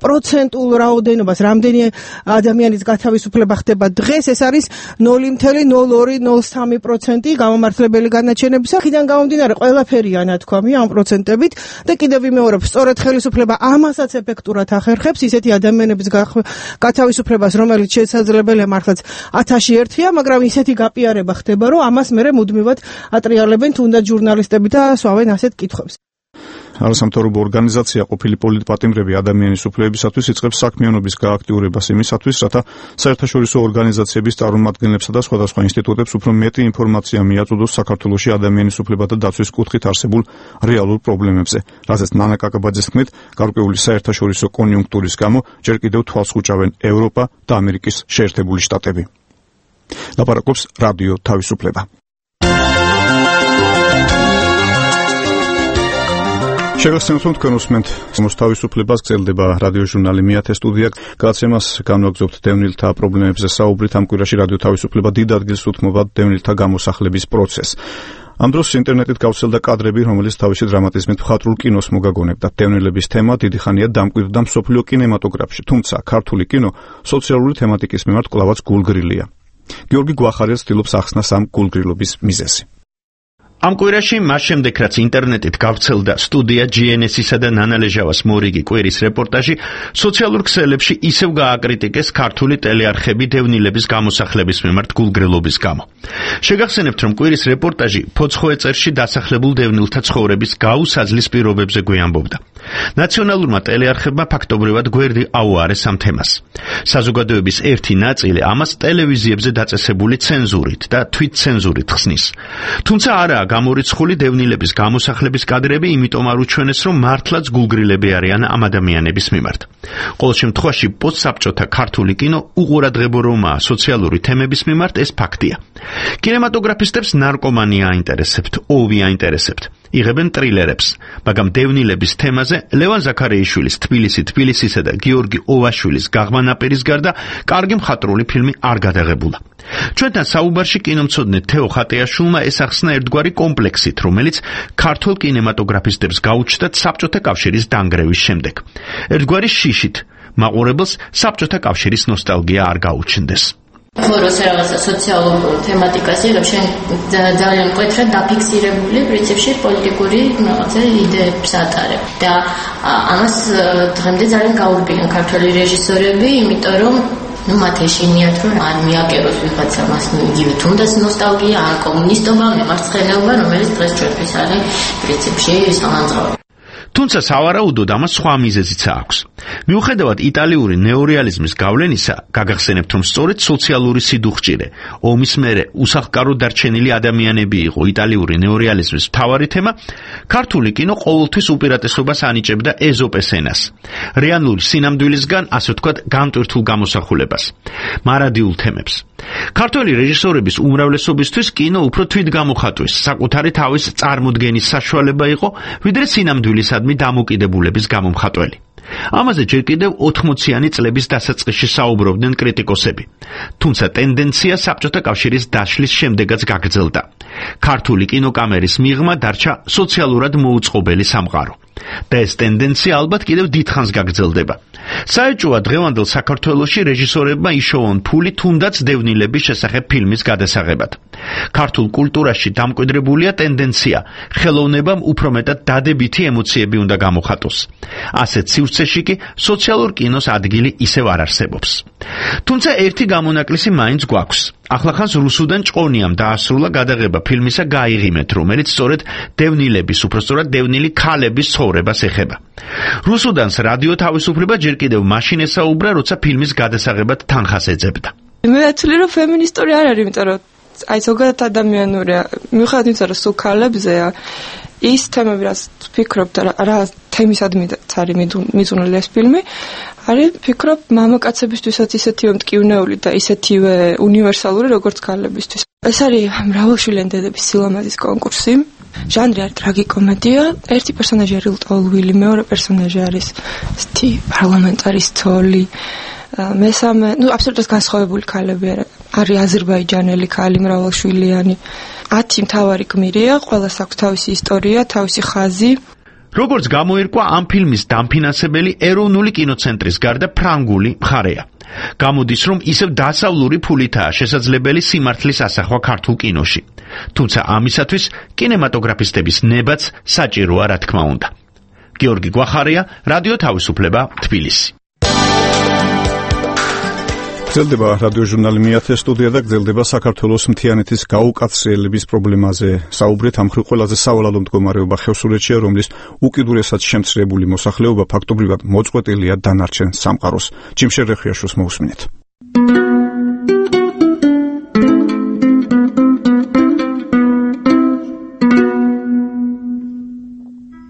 პროცენტულ რაოდენობას, რამდენი ადამიანის გათავისუფლება ხდება დღეს, ეს არის ნული კoma ნულ ორი ნულ სამი პროცენტი გამამართლებელი განაჩენების. აქედან გამომდინარე ყველაფერი ანათქვამი ამ პროცენტებით. და კიდევ ვიმეორებ, სწორედ ხელისუფლება ამასაც ეფექტურად ახერხებს ისეთი ადამიანების გათავისუფლებას, რომელიც შესაძლებელია მართლაც ათასში ერთია, მაგრამ ისეთი გაპიარება ხდება, რომ ამას მერე მუდმივად ატრიალებენ თუნდაც ჟურნალისტები და სვავენ ასეთ კითხვებს. არასამთავრობო ორგანიზაცია ყოფილი პოლიტპატიმრები ადამიანის უფლებებისათვის იწყებს საქმიანობის გააქტიურებას იმისათვის, რათა საერთაშორისო ორგანიზაციების წარმომადგენლებსა და სხვადასხვა ინსტიტუტებს უფრო მეტი ინფორმაცია მიაწოდოს საქართველოში ადამიანის უფლებათა დაცვის კუთხით არსებულ რეალურ პრობლემებზე, რაზეც ნანა კაკაბაძის თქმით, გარკვეული საერთაშორისო კონიუნქტურის გამო ჯერ კიდევ თვალს ხუჭავენ ევროპა და ამერიკის შეერთებული შტატები. ლაპარაკობს რადიო თავისუფლება. შეგახსენებთ, თქვენ უსმენთ თავისუფლებას, გრძელდება რადიოჟურნალი მეათე სტუდია. გადაცემას განვაგრძობთ დევნილთა პრობლემებზე საუბრით. ამ კვირაში რადიო თავისუფლება დიდ ადგილს უთმობა დევნილთა გამოსახლების პროცესს. ამ დროს ინტერნეტით გავრცელდა კადრები, რომელიც თავისი დრამატიზმით მხატვრულ კინოს მოგაგონებდა. დევნილების თემა დიდი ხანია დამკვიდრდა მსოფლიო კინემატოგრაფში, თუმცა ქართული კინო სოციალური თემატიკის მიმართ კვლავაც გულგრილია. გიორგი გვახარია ცდილობს ახსნას ამ გულგრილობის მიზეზი. ამ კვირაში მას შემდეგ რაც ინტერნეტით გავრცელდა სტუდია ჯი εν ეს-ისა და ნანა ლეჟავას მორიგი კვირის რეპორტაჟი, სოციალურ ქსელებში ისევ გააკრიტიკეს ქართული ტელეარხები დევნილების გამოსახლების მიმართ გულგრილობის გამო. შეგახსენებთ, რომ კვირის რეპორტაჟი ფოცხოეწერში დასახლებულ დევნილთა ცხოვრების გაუსაძლის პირობებზე გვიამბობდა. ნაციონალურმა ტელეარხებმა ფაქტობრივად გვერდი აუარეს ამ თემას. საზოგადოების ერთი ნაწილი ამას ტელევიზიებზე დაწესებული ცენზურით და თვითცენზურით ხსნის. თუმცა არაა გამორიცხული დევნილების გამოსახლების კადრები, იმიტომ არ უჩვენეს, რომ მართლაც გულგრილები არიან ამ ადამიანების მიმართ. ყოველ შემთხვევაში პოსტსაბჭოთა ქართული კინო უყურადღებო რომაა სოციალური თემების მიმართ, ეს ფაქტია. კინემატოგრაფისტებს ნარკომანია აინტერესებთ, ოვი აინტერესებთ. იღებენ ტრილერებს, მაგრამ დევნილების თემაზე ლევან ზაქარიაშვილის თბილისი თბილისისა და გიორგი ოვაშვილის გაღმანაპირის გარდა კარგი მხატვრული ფილმი არ გადაღებულა. ჩვენთან საუბარში კინომცოდნე თეო ხატიაშვილმა ესახსნა ერთგვარი კომპლექსით, რომელიც ქართულ კინემატოგრაფისტებს გაუჩნდათ საბჭოთა კავშირის დანგრევის შემდეგ. ერთგვარი შიშით, მაყურებელს საბჭოთა კავშირის ნოსტალგია არ გაუჩნდეს. ხოროს რაღაცა სოციალურ თემატიკას იღებ, შენ ძალიან მკვეთრად დაფიქსირებული პრინციპში პოლიტიკური რაღაცა იდეებს ატარებ და ამას დღემდე ძალიან გაურბიან ქართველი რეჟისორები, იმიტომ რომ ну მათ ეშინიათ რომ არ მიაკეროს ვიღაცა მას იგივე თუნდაც ნოსტალგია, ან კომუნისტობა, მემარცხენეობა, რომელიც დღეს ჩვენთვის არის პრინციპში სამანძღავი. თუმცა სავარაუდოდ ამას სხვა მიზეზიც აქვს. მიუხედავად იტალიური ნეორეალიზმის გავლენისა, გაგახსენებთ, რომ სწორედ სოციალური სიდუხჭირე, ომის მერე უსახლკაროდ დარჩენილი ადამიანები იყო იტალიური ნეორეალიზმის მთავარი თემა, ქართული კინო ყოველთვის უპირატესობას ანიჭებდა ეზოპეს ენას, რეალური სინამდვილისგან, ასე ვთქვათ, განტვირთულ გამოსახულებას, მარადიულ თემებს. ქართველი რეჟისორების უმრავლესობისთვის კინო უფრო თვითგამოხატვის, საკუთარი თავის წარმოდგენის საშუალება იყო, ვიდრე სინამდვილისადმი დამოკიდებულების გამომხატველი. ამაზე ჯერ კიდევ ოთხმოციანი წლების დასაწყისში საუბრობდნენ კრიტიკოსები. თუმცა ტენდენცია საბჭოთა კავშირის დაშლის შემდეგაც გაგრძელდა. ქართული კინოკამერის მიღმა დარჩა სოციალურად მოუწყობელი სამყარო. და ეს ტენდენცია ალბათ კიდევ დიდხანს გაგრძელდება. საეჭვოა დღევანდელ საქართველოში რეჟისორებმა იშოვონ ფული თუნდაც დევნილების შესახებ ფილმის გადასაღებად. ქართულ კულტურაში დამკვიდრებულია ტენდენცია, ხელოვნებამ უფრო მეტად დადებითი ემოციები უნდა გამოხატოს. ასეთ სივრცეში კი სოციალურ კინოს ადგილი ისევ არ არსებობს. თუმცა ერთი გამონაკლისი მაინც გვაქვს. ახლახანს რუსუდან ჭყონიამ დაასრულა გადაღება ფილმისა გაიღიმეთ, რომელიც სწორედ დევნილების, უпростоრად დევნილი ქალების ცხოვრებას ეხება. რუსუდანს რადიო თავისუფლება ჯერ კიდევ მაშინ ესაუბრა, როცა ფილმის გადასაღებად თანხას ეძებდა. მე ვთვლი, რომ ფემინისტური არ არის, იმიტომ რომ აი ზოგადად ადამიანურია, მიუხედავად იმისა, რომ სულ ქალებზეა, ის თემები, რაც ვფიქრობ და რა თემისადმი არის მიწუნელი ეს ფილმი, არის ვფიქრობ მამაკაცებისთვისაც ისეთივე მტკივნეული და ისეთივე უნივერსალური, როგორც ქალებისთვის. ეს არის მრავალშვილიანი დედების სილამაზის კონკურსი. ჟანრი არის ტრაგიკომედია, ერთი პერსონაჟი არის ლტოლვილი, მეორე პერსონაჟი არის სთი პარლამენტარის ცოლი, მესამე, ну აბსოლუტურად განსხვავებული ქალები არის აზერბაიჯანელი ქალი მრავალშვილიანი. ათი მთავარი გმირია, ყველას აქვს თავისი ისტორია, თავისი ხაზი. როგორც გამოირკვა, ამ ფილმის დამფინანსებელი ეროვნული კინოცენტრის გარდა ფრანგული მხარეა. გამოდის, რომ ისევ დასავლური ფულითაა შესაძლებელი სიმართლის ასახვა ქართულ კინოში. თუმცა ამისათვის კინემატოგრაფისტების ნებაც საჭიროა, რა თქმა უნდა. გიორგი გვახარია, რადიო თავისუფლება, თბილისი. გრძელდება რადიო ჟურნალი მეათე სტუდია და გრძელდება საქართველოს მთიანეთის გაუკაცრიელების პრობლემაზე. საუბრით ამ მხრივ ყველაზე სავალალო მდგომარეობა ხევსურეთშია, რომლის უკიდურესად შემცირებული მოსახლეობა ფაქტობრივად მოწყვეტილია დანარჩენ სამყაროს. ჯიმშერ რეხიაშვილს მოусმინეთ.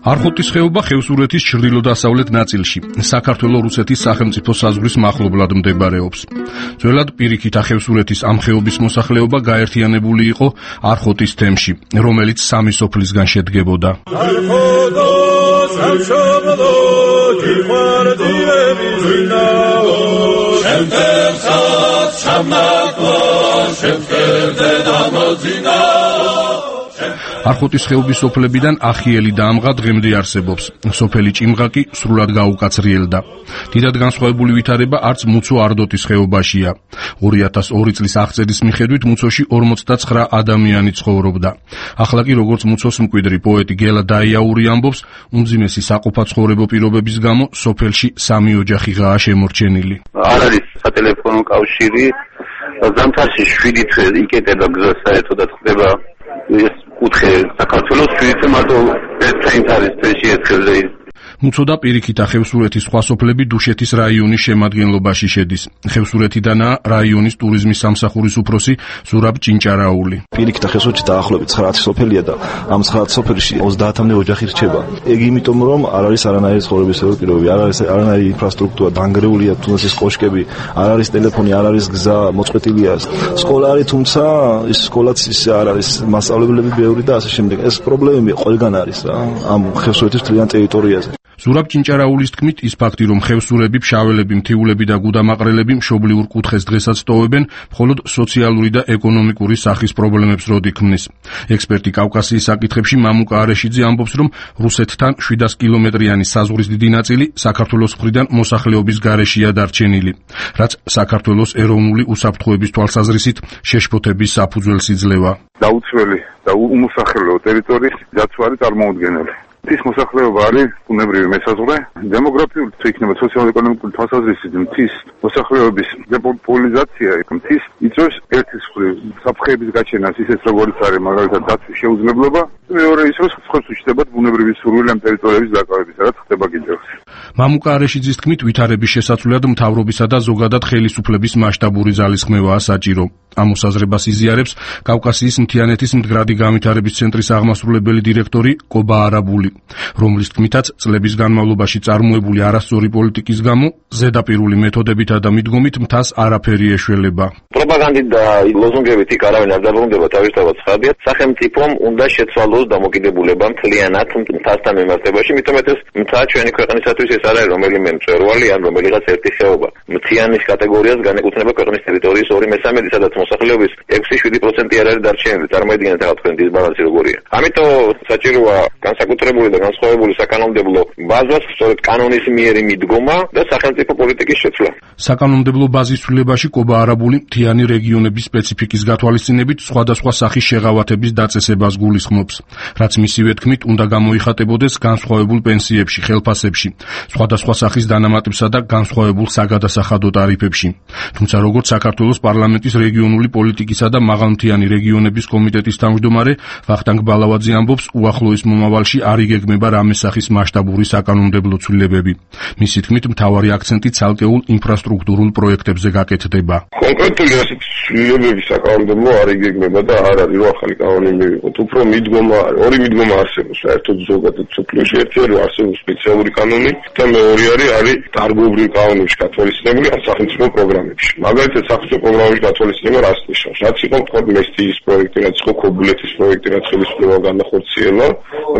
არხოტის ხეობა ხევსურეთის ჩრდილო-დასავლეთ ნაწილში, საქართველო-რუსეთის სახელმწიფო საზღვრის მახლობლად მდებარეობს. ძველად პირიქით ახევსურეთის ამ ხეობის მოსახლეობა გაერთიანებული იყო არხოტის თემში, რომელიც სამი სოფლისგან შედგებოდა. არხოტის ხეობის სოფლებიდან ახიელი და ამღა დღემდე არსებობს. სოფელი ჭიმღა კი სრულად გაუკაცრიელდა. დიდად განსხვავებული ვითარება არც მუცო არდოტის ხეობაშია. ორი ათას ორი წლის აღწერის მიხედვით მუცოში ორმოცდაცხრა ადამიანი ცხოვრობდა. ახლა კი როგორც მუცოს მკვიდრი პოეტი გელა დაიაური ამბობს, უმძიმესი საყოფაცხოვრებო პირობების გამო სოფელში სამი ოჯახიღაა შემორჩენილი. არ არის სატელეფონო კავშირი, ზამთარში შვიდი თვე იკეტება გზა საერთოდაც ხდება ეს კუთხე საქართველოს შვიდი მარტო ერთ წელს არის თვეში ერთხელ. მუცო და პირიქითა ხევსურეთის სხვა სოფლები დუშეთის რაიონის შემადგენლობაში შედის. ხევსურეთიდანაა რაიონის ტურიზმის სამსახურის უფროსი ზურაბ ჭინჭარაული. პირიქითა ხევსურეთი დაახლოებით ცხრაათი სოფელია და ამ ცხრაათი სოფელში ოცდაათამდე ოჯახი რჩება. ეგ იმიტომ რომ არ არის არანაირი ცხოვრებისეული პირობები, არ არის არანაირი ინფრასტრუქტურა, დანგრეულია თუნდაც ის კოშკები, არ არის ტელეფონი, არ არის გზა, მოწყვეტილია. სკოლა არის, თუმცა ის სკოლაც ის არ არის, მასწავლებლები ბევრი და ასე შემდეგ. ეს პრობლემები ყველგან არის რა, ამ ხევსურეთის მთლიან ტერიტორიაზე. ზურაბ ჭინჭარაულის თქმით, ის ფაქტი, რომ ხევსურები, ფშაველები, მთიულები და გუდამაყრელები მშობლიურ კუთხეს დღესაც ტოვებენ, მხოლოდ სოციალური და ეკონომიკური სახის პრობლემებს როდი ქმნის. ექსპერტი კავკასიის საკითხებში მამუკა არეშიძე ამბობს, რომ რუსეთთან შვიდას კილომეტრიანი საზღვრის დიდი ნაწილი საქართველოს მხრიდან მოსახლეობის გარეშეა დარჩენილი, რაც საქართველოს ეროვნული უსაფრთხოების თვალსაზრისით შეშფოთების საფუძველს იძლევა. დაუცველი და უმოსახლეო ტერიტორიის დაცვა წარმოუდგენელი. მთის მოსახლეობა არის ბუნებრივი მესაზღვრე, დემოგრაფიული თუ იქნება სოციალურ-ეკონომიკური თვალსაზრისით მთის მოსახლეობის დეპოპულიზაცია მთის იწვევს ერთის მხრივ საფრთხეების გაჩენას, ისეთ როგორც არის მაგალითად დაცვის შეუძლებლობა, მეორე ის რომ სხვებს უჩნდებათ ბუნებრივი სურვილი ამ ტერიტორიების დაკავებისა, რაც ხდება კიდევს. მამუკა არეშიძის თქმით, ვითარების შესაცვლელად მთავრობისა და ზოგადად ხელისუფლების მასშტაბური ძალისხმევაა საჭირო. ამ მოსაზრებას იზიარებს კავკასიის მთიანეთის მდგრადი განვითარების ცენტრის აღმასრულებელი დირექტორი კობა არაბული, რომლის თქმითაც წლების განმავლობაში წარმოებული არასწორი პოლიტიკის გამო ზედაპირული მეთოდებითა და მიდგომით მთას არაფერი ეშველება. პროპაგანდით და ლოზუნგებით იქ არავინ არ დაბრუნდება, თავისთავად ცხადია, სახელმწიფომ უნდა შეცვალოს დამოკიდებულება მთლიანად მთასთან მიმართებაში, მithomet ეს მთა ჩვენი ქვეყნისათვის ეს არის რომელიმე მწვერვალი ან რომელიღაც ერთი ხეობა. მთიანის კატეგორიას განეკუთვნება ქვეყნის ტერიტორიის ორი მესამედი, სადაც მოსახლეობის ექვსი შვიდი პროცენტი არ არის დარჩენილი. წარმოიდგინეთ ახლა თქვენ დისბალანსი როგორია. ამიტომ საჭიროა განსაკუთრებული და განსხვავებული საკანონმდებლო ბაზას, სწორედ კანონის მიერი მიდგომა და სახელმწიფო პოლიტიკის შეცვლა. საკანონმდებლო ბაზის ცვლილებაში კობა არაბული მთიანი რეგიონების სპეციფიკის გათვალისწინებით სხვადასხვა სახის შეღავათების დაწესებას გულისხმობს, რაც მისივე თქმით უნდა გამოიხატებოდეს განსხვავებულ პენსიებში, ხელფასებში, სხვადასხვა სახის დანამატებსა და განსხვავებულ საგადასახადო ტარიფებში. თუმცა როგორც საქართველოს პარლამენტის რეგიონული პოლიტიკისა და მაღალმთიანი რეგიონების კომიტეტის თავმჯდომარე ვახტანგ ბალავაძე ამბობს, უახლოეს მომავალში არ იგეგმება რამე სახის მასშტაბური საკანონმდებლო ცვლილებები. მისი თქმით, მთავარი აქცენტი ცალკეულ ინფრასტრუქტურულ პროექტებზე გაკეთდება. კონკრეტული ასეთ ცვლილებები საკანონმდებლო არ იგეგმება და არ არის რომ ახალი კანონი მივიღოთ. უფრო მიდგომა, ორი მიდგომა არსებობს საერთოდ ზოგადად სოფლიოში. ერთი არის არსებობს სპეციალური კანონი და მეორე არის არის დარგობრივ კანონებში გათვალისწინებული ან სახელმწიფო პროგრამებში. მაგალითად, სახელმწიფო პროგრამებში გათვალისწინება რას ნიშნავს? რაც იყო თქვენ მესტიის პროექტი, რაც იყო ქობულეთის პროექტი, რაც ხელისუფლება განახორციელა,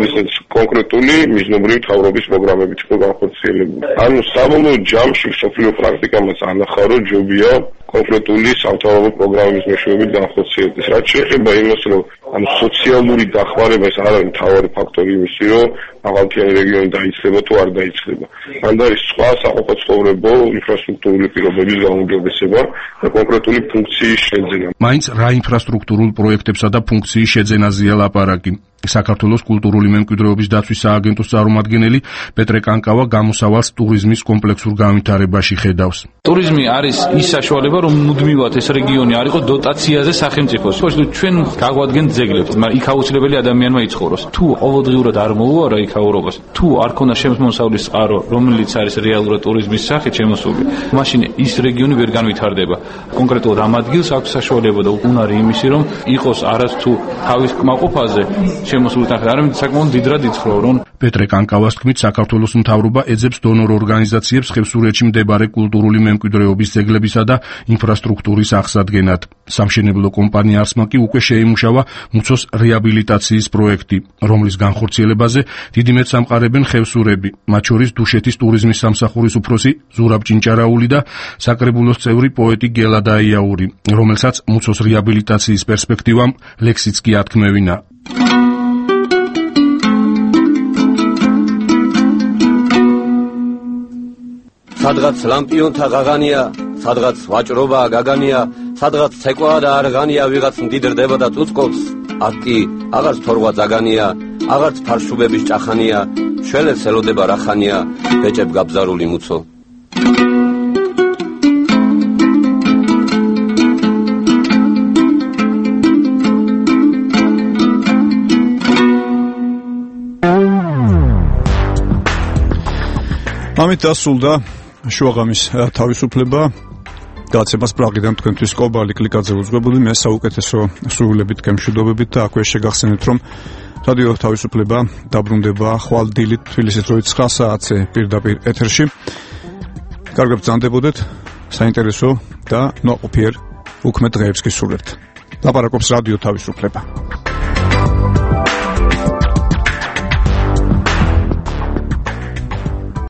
ისეთ კონკრეტული მიზნობრივი თავრობის პროგრამებით იყო განხორციელებული. ანუ საბოლოო ჯამში სოფლიო პრაქტიკამაც ანახა, რომ ჯობია კონკრეტული სამთავრობო პროგრამების მეშვეობით განხორციელდეს. რაც შეეხება იმას, რომ ანუ სოციალური დახმარება ეს არ არის მთავარი ფაქტორი იმისი, რომ მაღალმთიანი რეგიონი დაიცლება თუ არ დაიცლება. ან არის სხვა საყოფაცხოვრებო ინფრასტრუქტურული პირობების გაუმჯობესება და კონკრეტული ფუნქციის შეძენა. მაინც რა ინფრასტრუქტურულ პროექტებსა და ფუნქციის შეძენაზეა ლაპარაკი. საქართველოს კულტურული მემკვიდრეობის დაცვის სააგენტოს წარმომადგენელი პეტრე კანკავა გამოსავალს ტურიზმის კომპლექსურ განვითარებაში ხედავს. ტურიზმი არის ის საშუალება, რომ მუდმივად ეს რეგიონი არ იყო დოტაციაზე სახელმწიფოს. ჩვენ გაგვადგენთ ძეგლებს, მაგრამ იქ აუცილებელი ადამიანმა იცხოვროს. თუ ყოველდღიურად არ მოუარა იქ აურობას, თუ არ ქონდა შემოსავლის წყარო, რომელიც არის რეალურად ტურიზმის სახით შემოსული, მაშინ ის რეგიონი ვერ განვითარდება. კონკრეტულად ამ ადგილს აქვს საშუალება და უნარი იმისი, რომ იყოს არასთუ თავის კმაყოფაზე შემოსული თანხა, არამედ საკმაოდ დიდრად იცხოვრო, რომ პეტრე კანკავას თქმით, საქართველოს მთავრობა ეძებს დონორ ორგანიზაციებს ხევსურეთში მდებარე კულტურული მემკვიდრეობის ძეგლებისა და ინფრასტრუქტურის აღსადგენად. სამშენებლო კომპანია არსმა კი უკვე შეიმუშავა მუცოს რეაბილიტაციის პროექტი, რომლის განხორციელებაზე დიდი მეტს ამყარებენ ხევსურები, მათ შორის დუშეთის ტურიზმის სამსახურის უფროსი ზურაბ ჭინჭარაული და საკრებულოს წევრი პოეტი გელა დაიაური, რომელსაც მუცოს რეაბილიტაციის პერსპექტივამ ლექსიც კი ათქმევინა. სადღაც ლამპიონთა ღაღანია, სადღაც ვაჭრობა გაგანია, სადღაც ცეკვაა და არღანია, ვიღაც მდიდრდება და წუწკობს, აქ კი აღარც თორღვა ძაგანია, აღარც ფარშუბების ჭახანია, შველებს ელოდება რახანია, ბეჭებ გაბზარული მუცო. ამით დასრულდა შუაღამის თავისუფლება. გაცემას პრაღიდან თქვენთვის კობალი კლიკაძე უძღვებული, მე საუკეთესო სრულებით გემშვიდობებით და აქვე შეგახსენეთ, რომ რადიო თავისუფლება დაბრუნდება ხვალ დილით თბილისის დროით ცხრა საათზე პირდაპირ ეთერში. კარგად ბრძანდებოდეთ, საინტერესო და ნაყოფიერ უქმე დღეებს გისურვებთ. ლაპარაკობს რადიო თავისუფლება.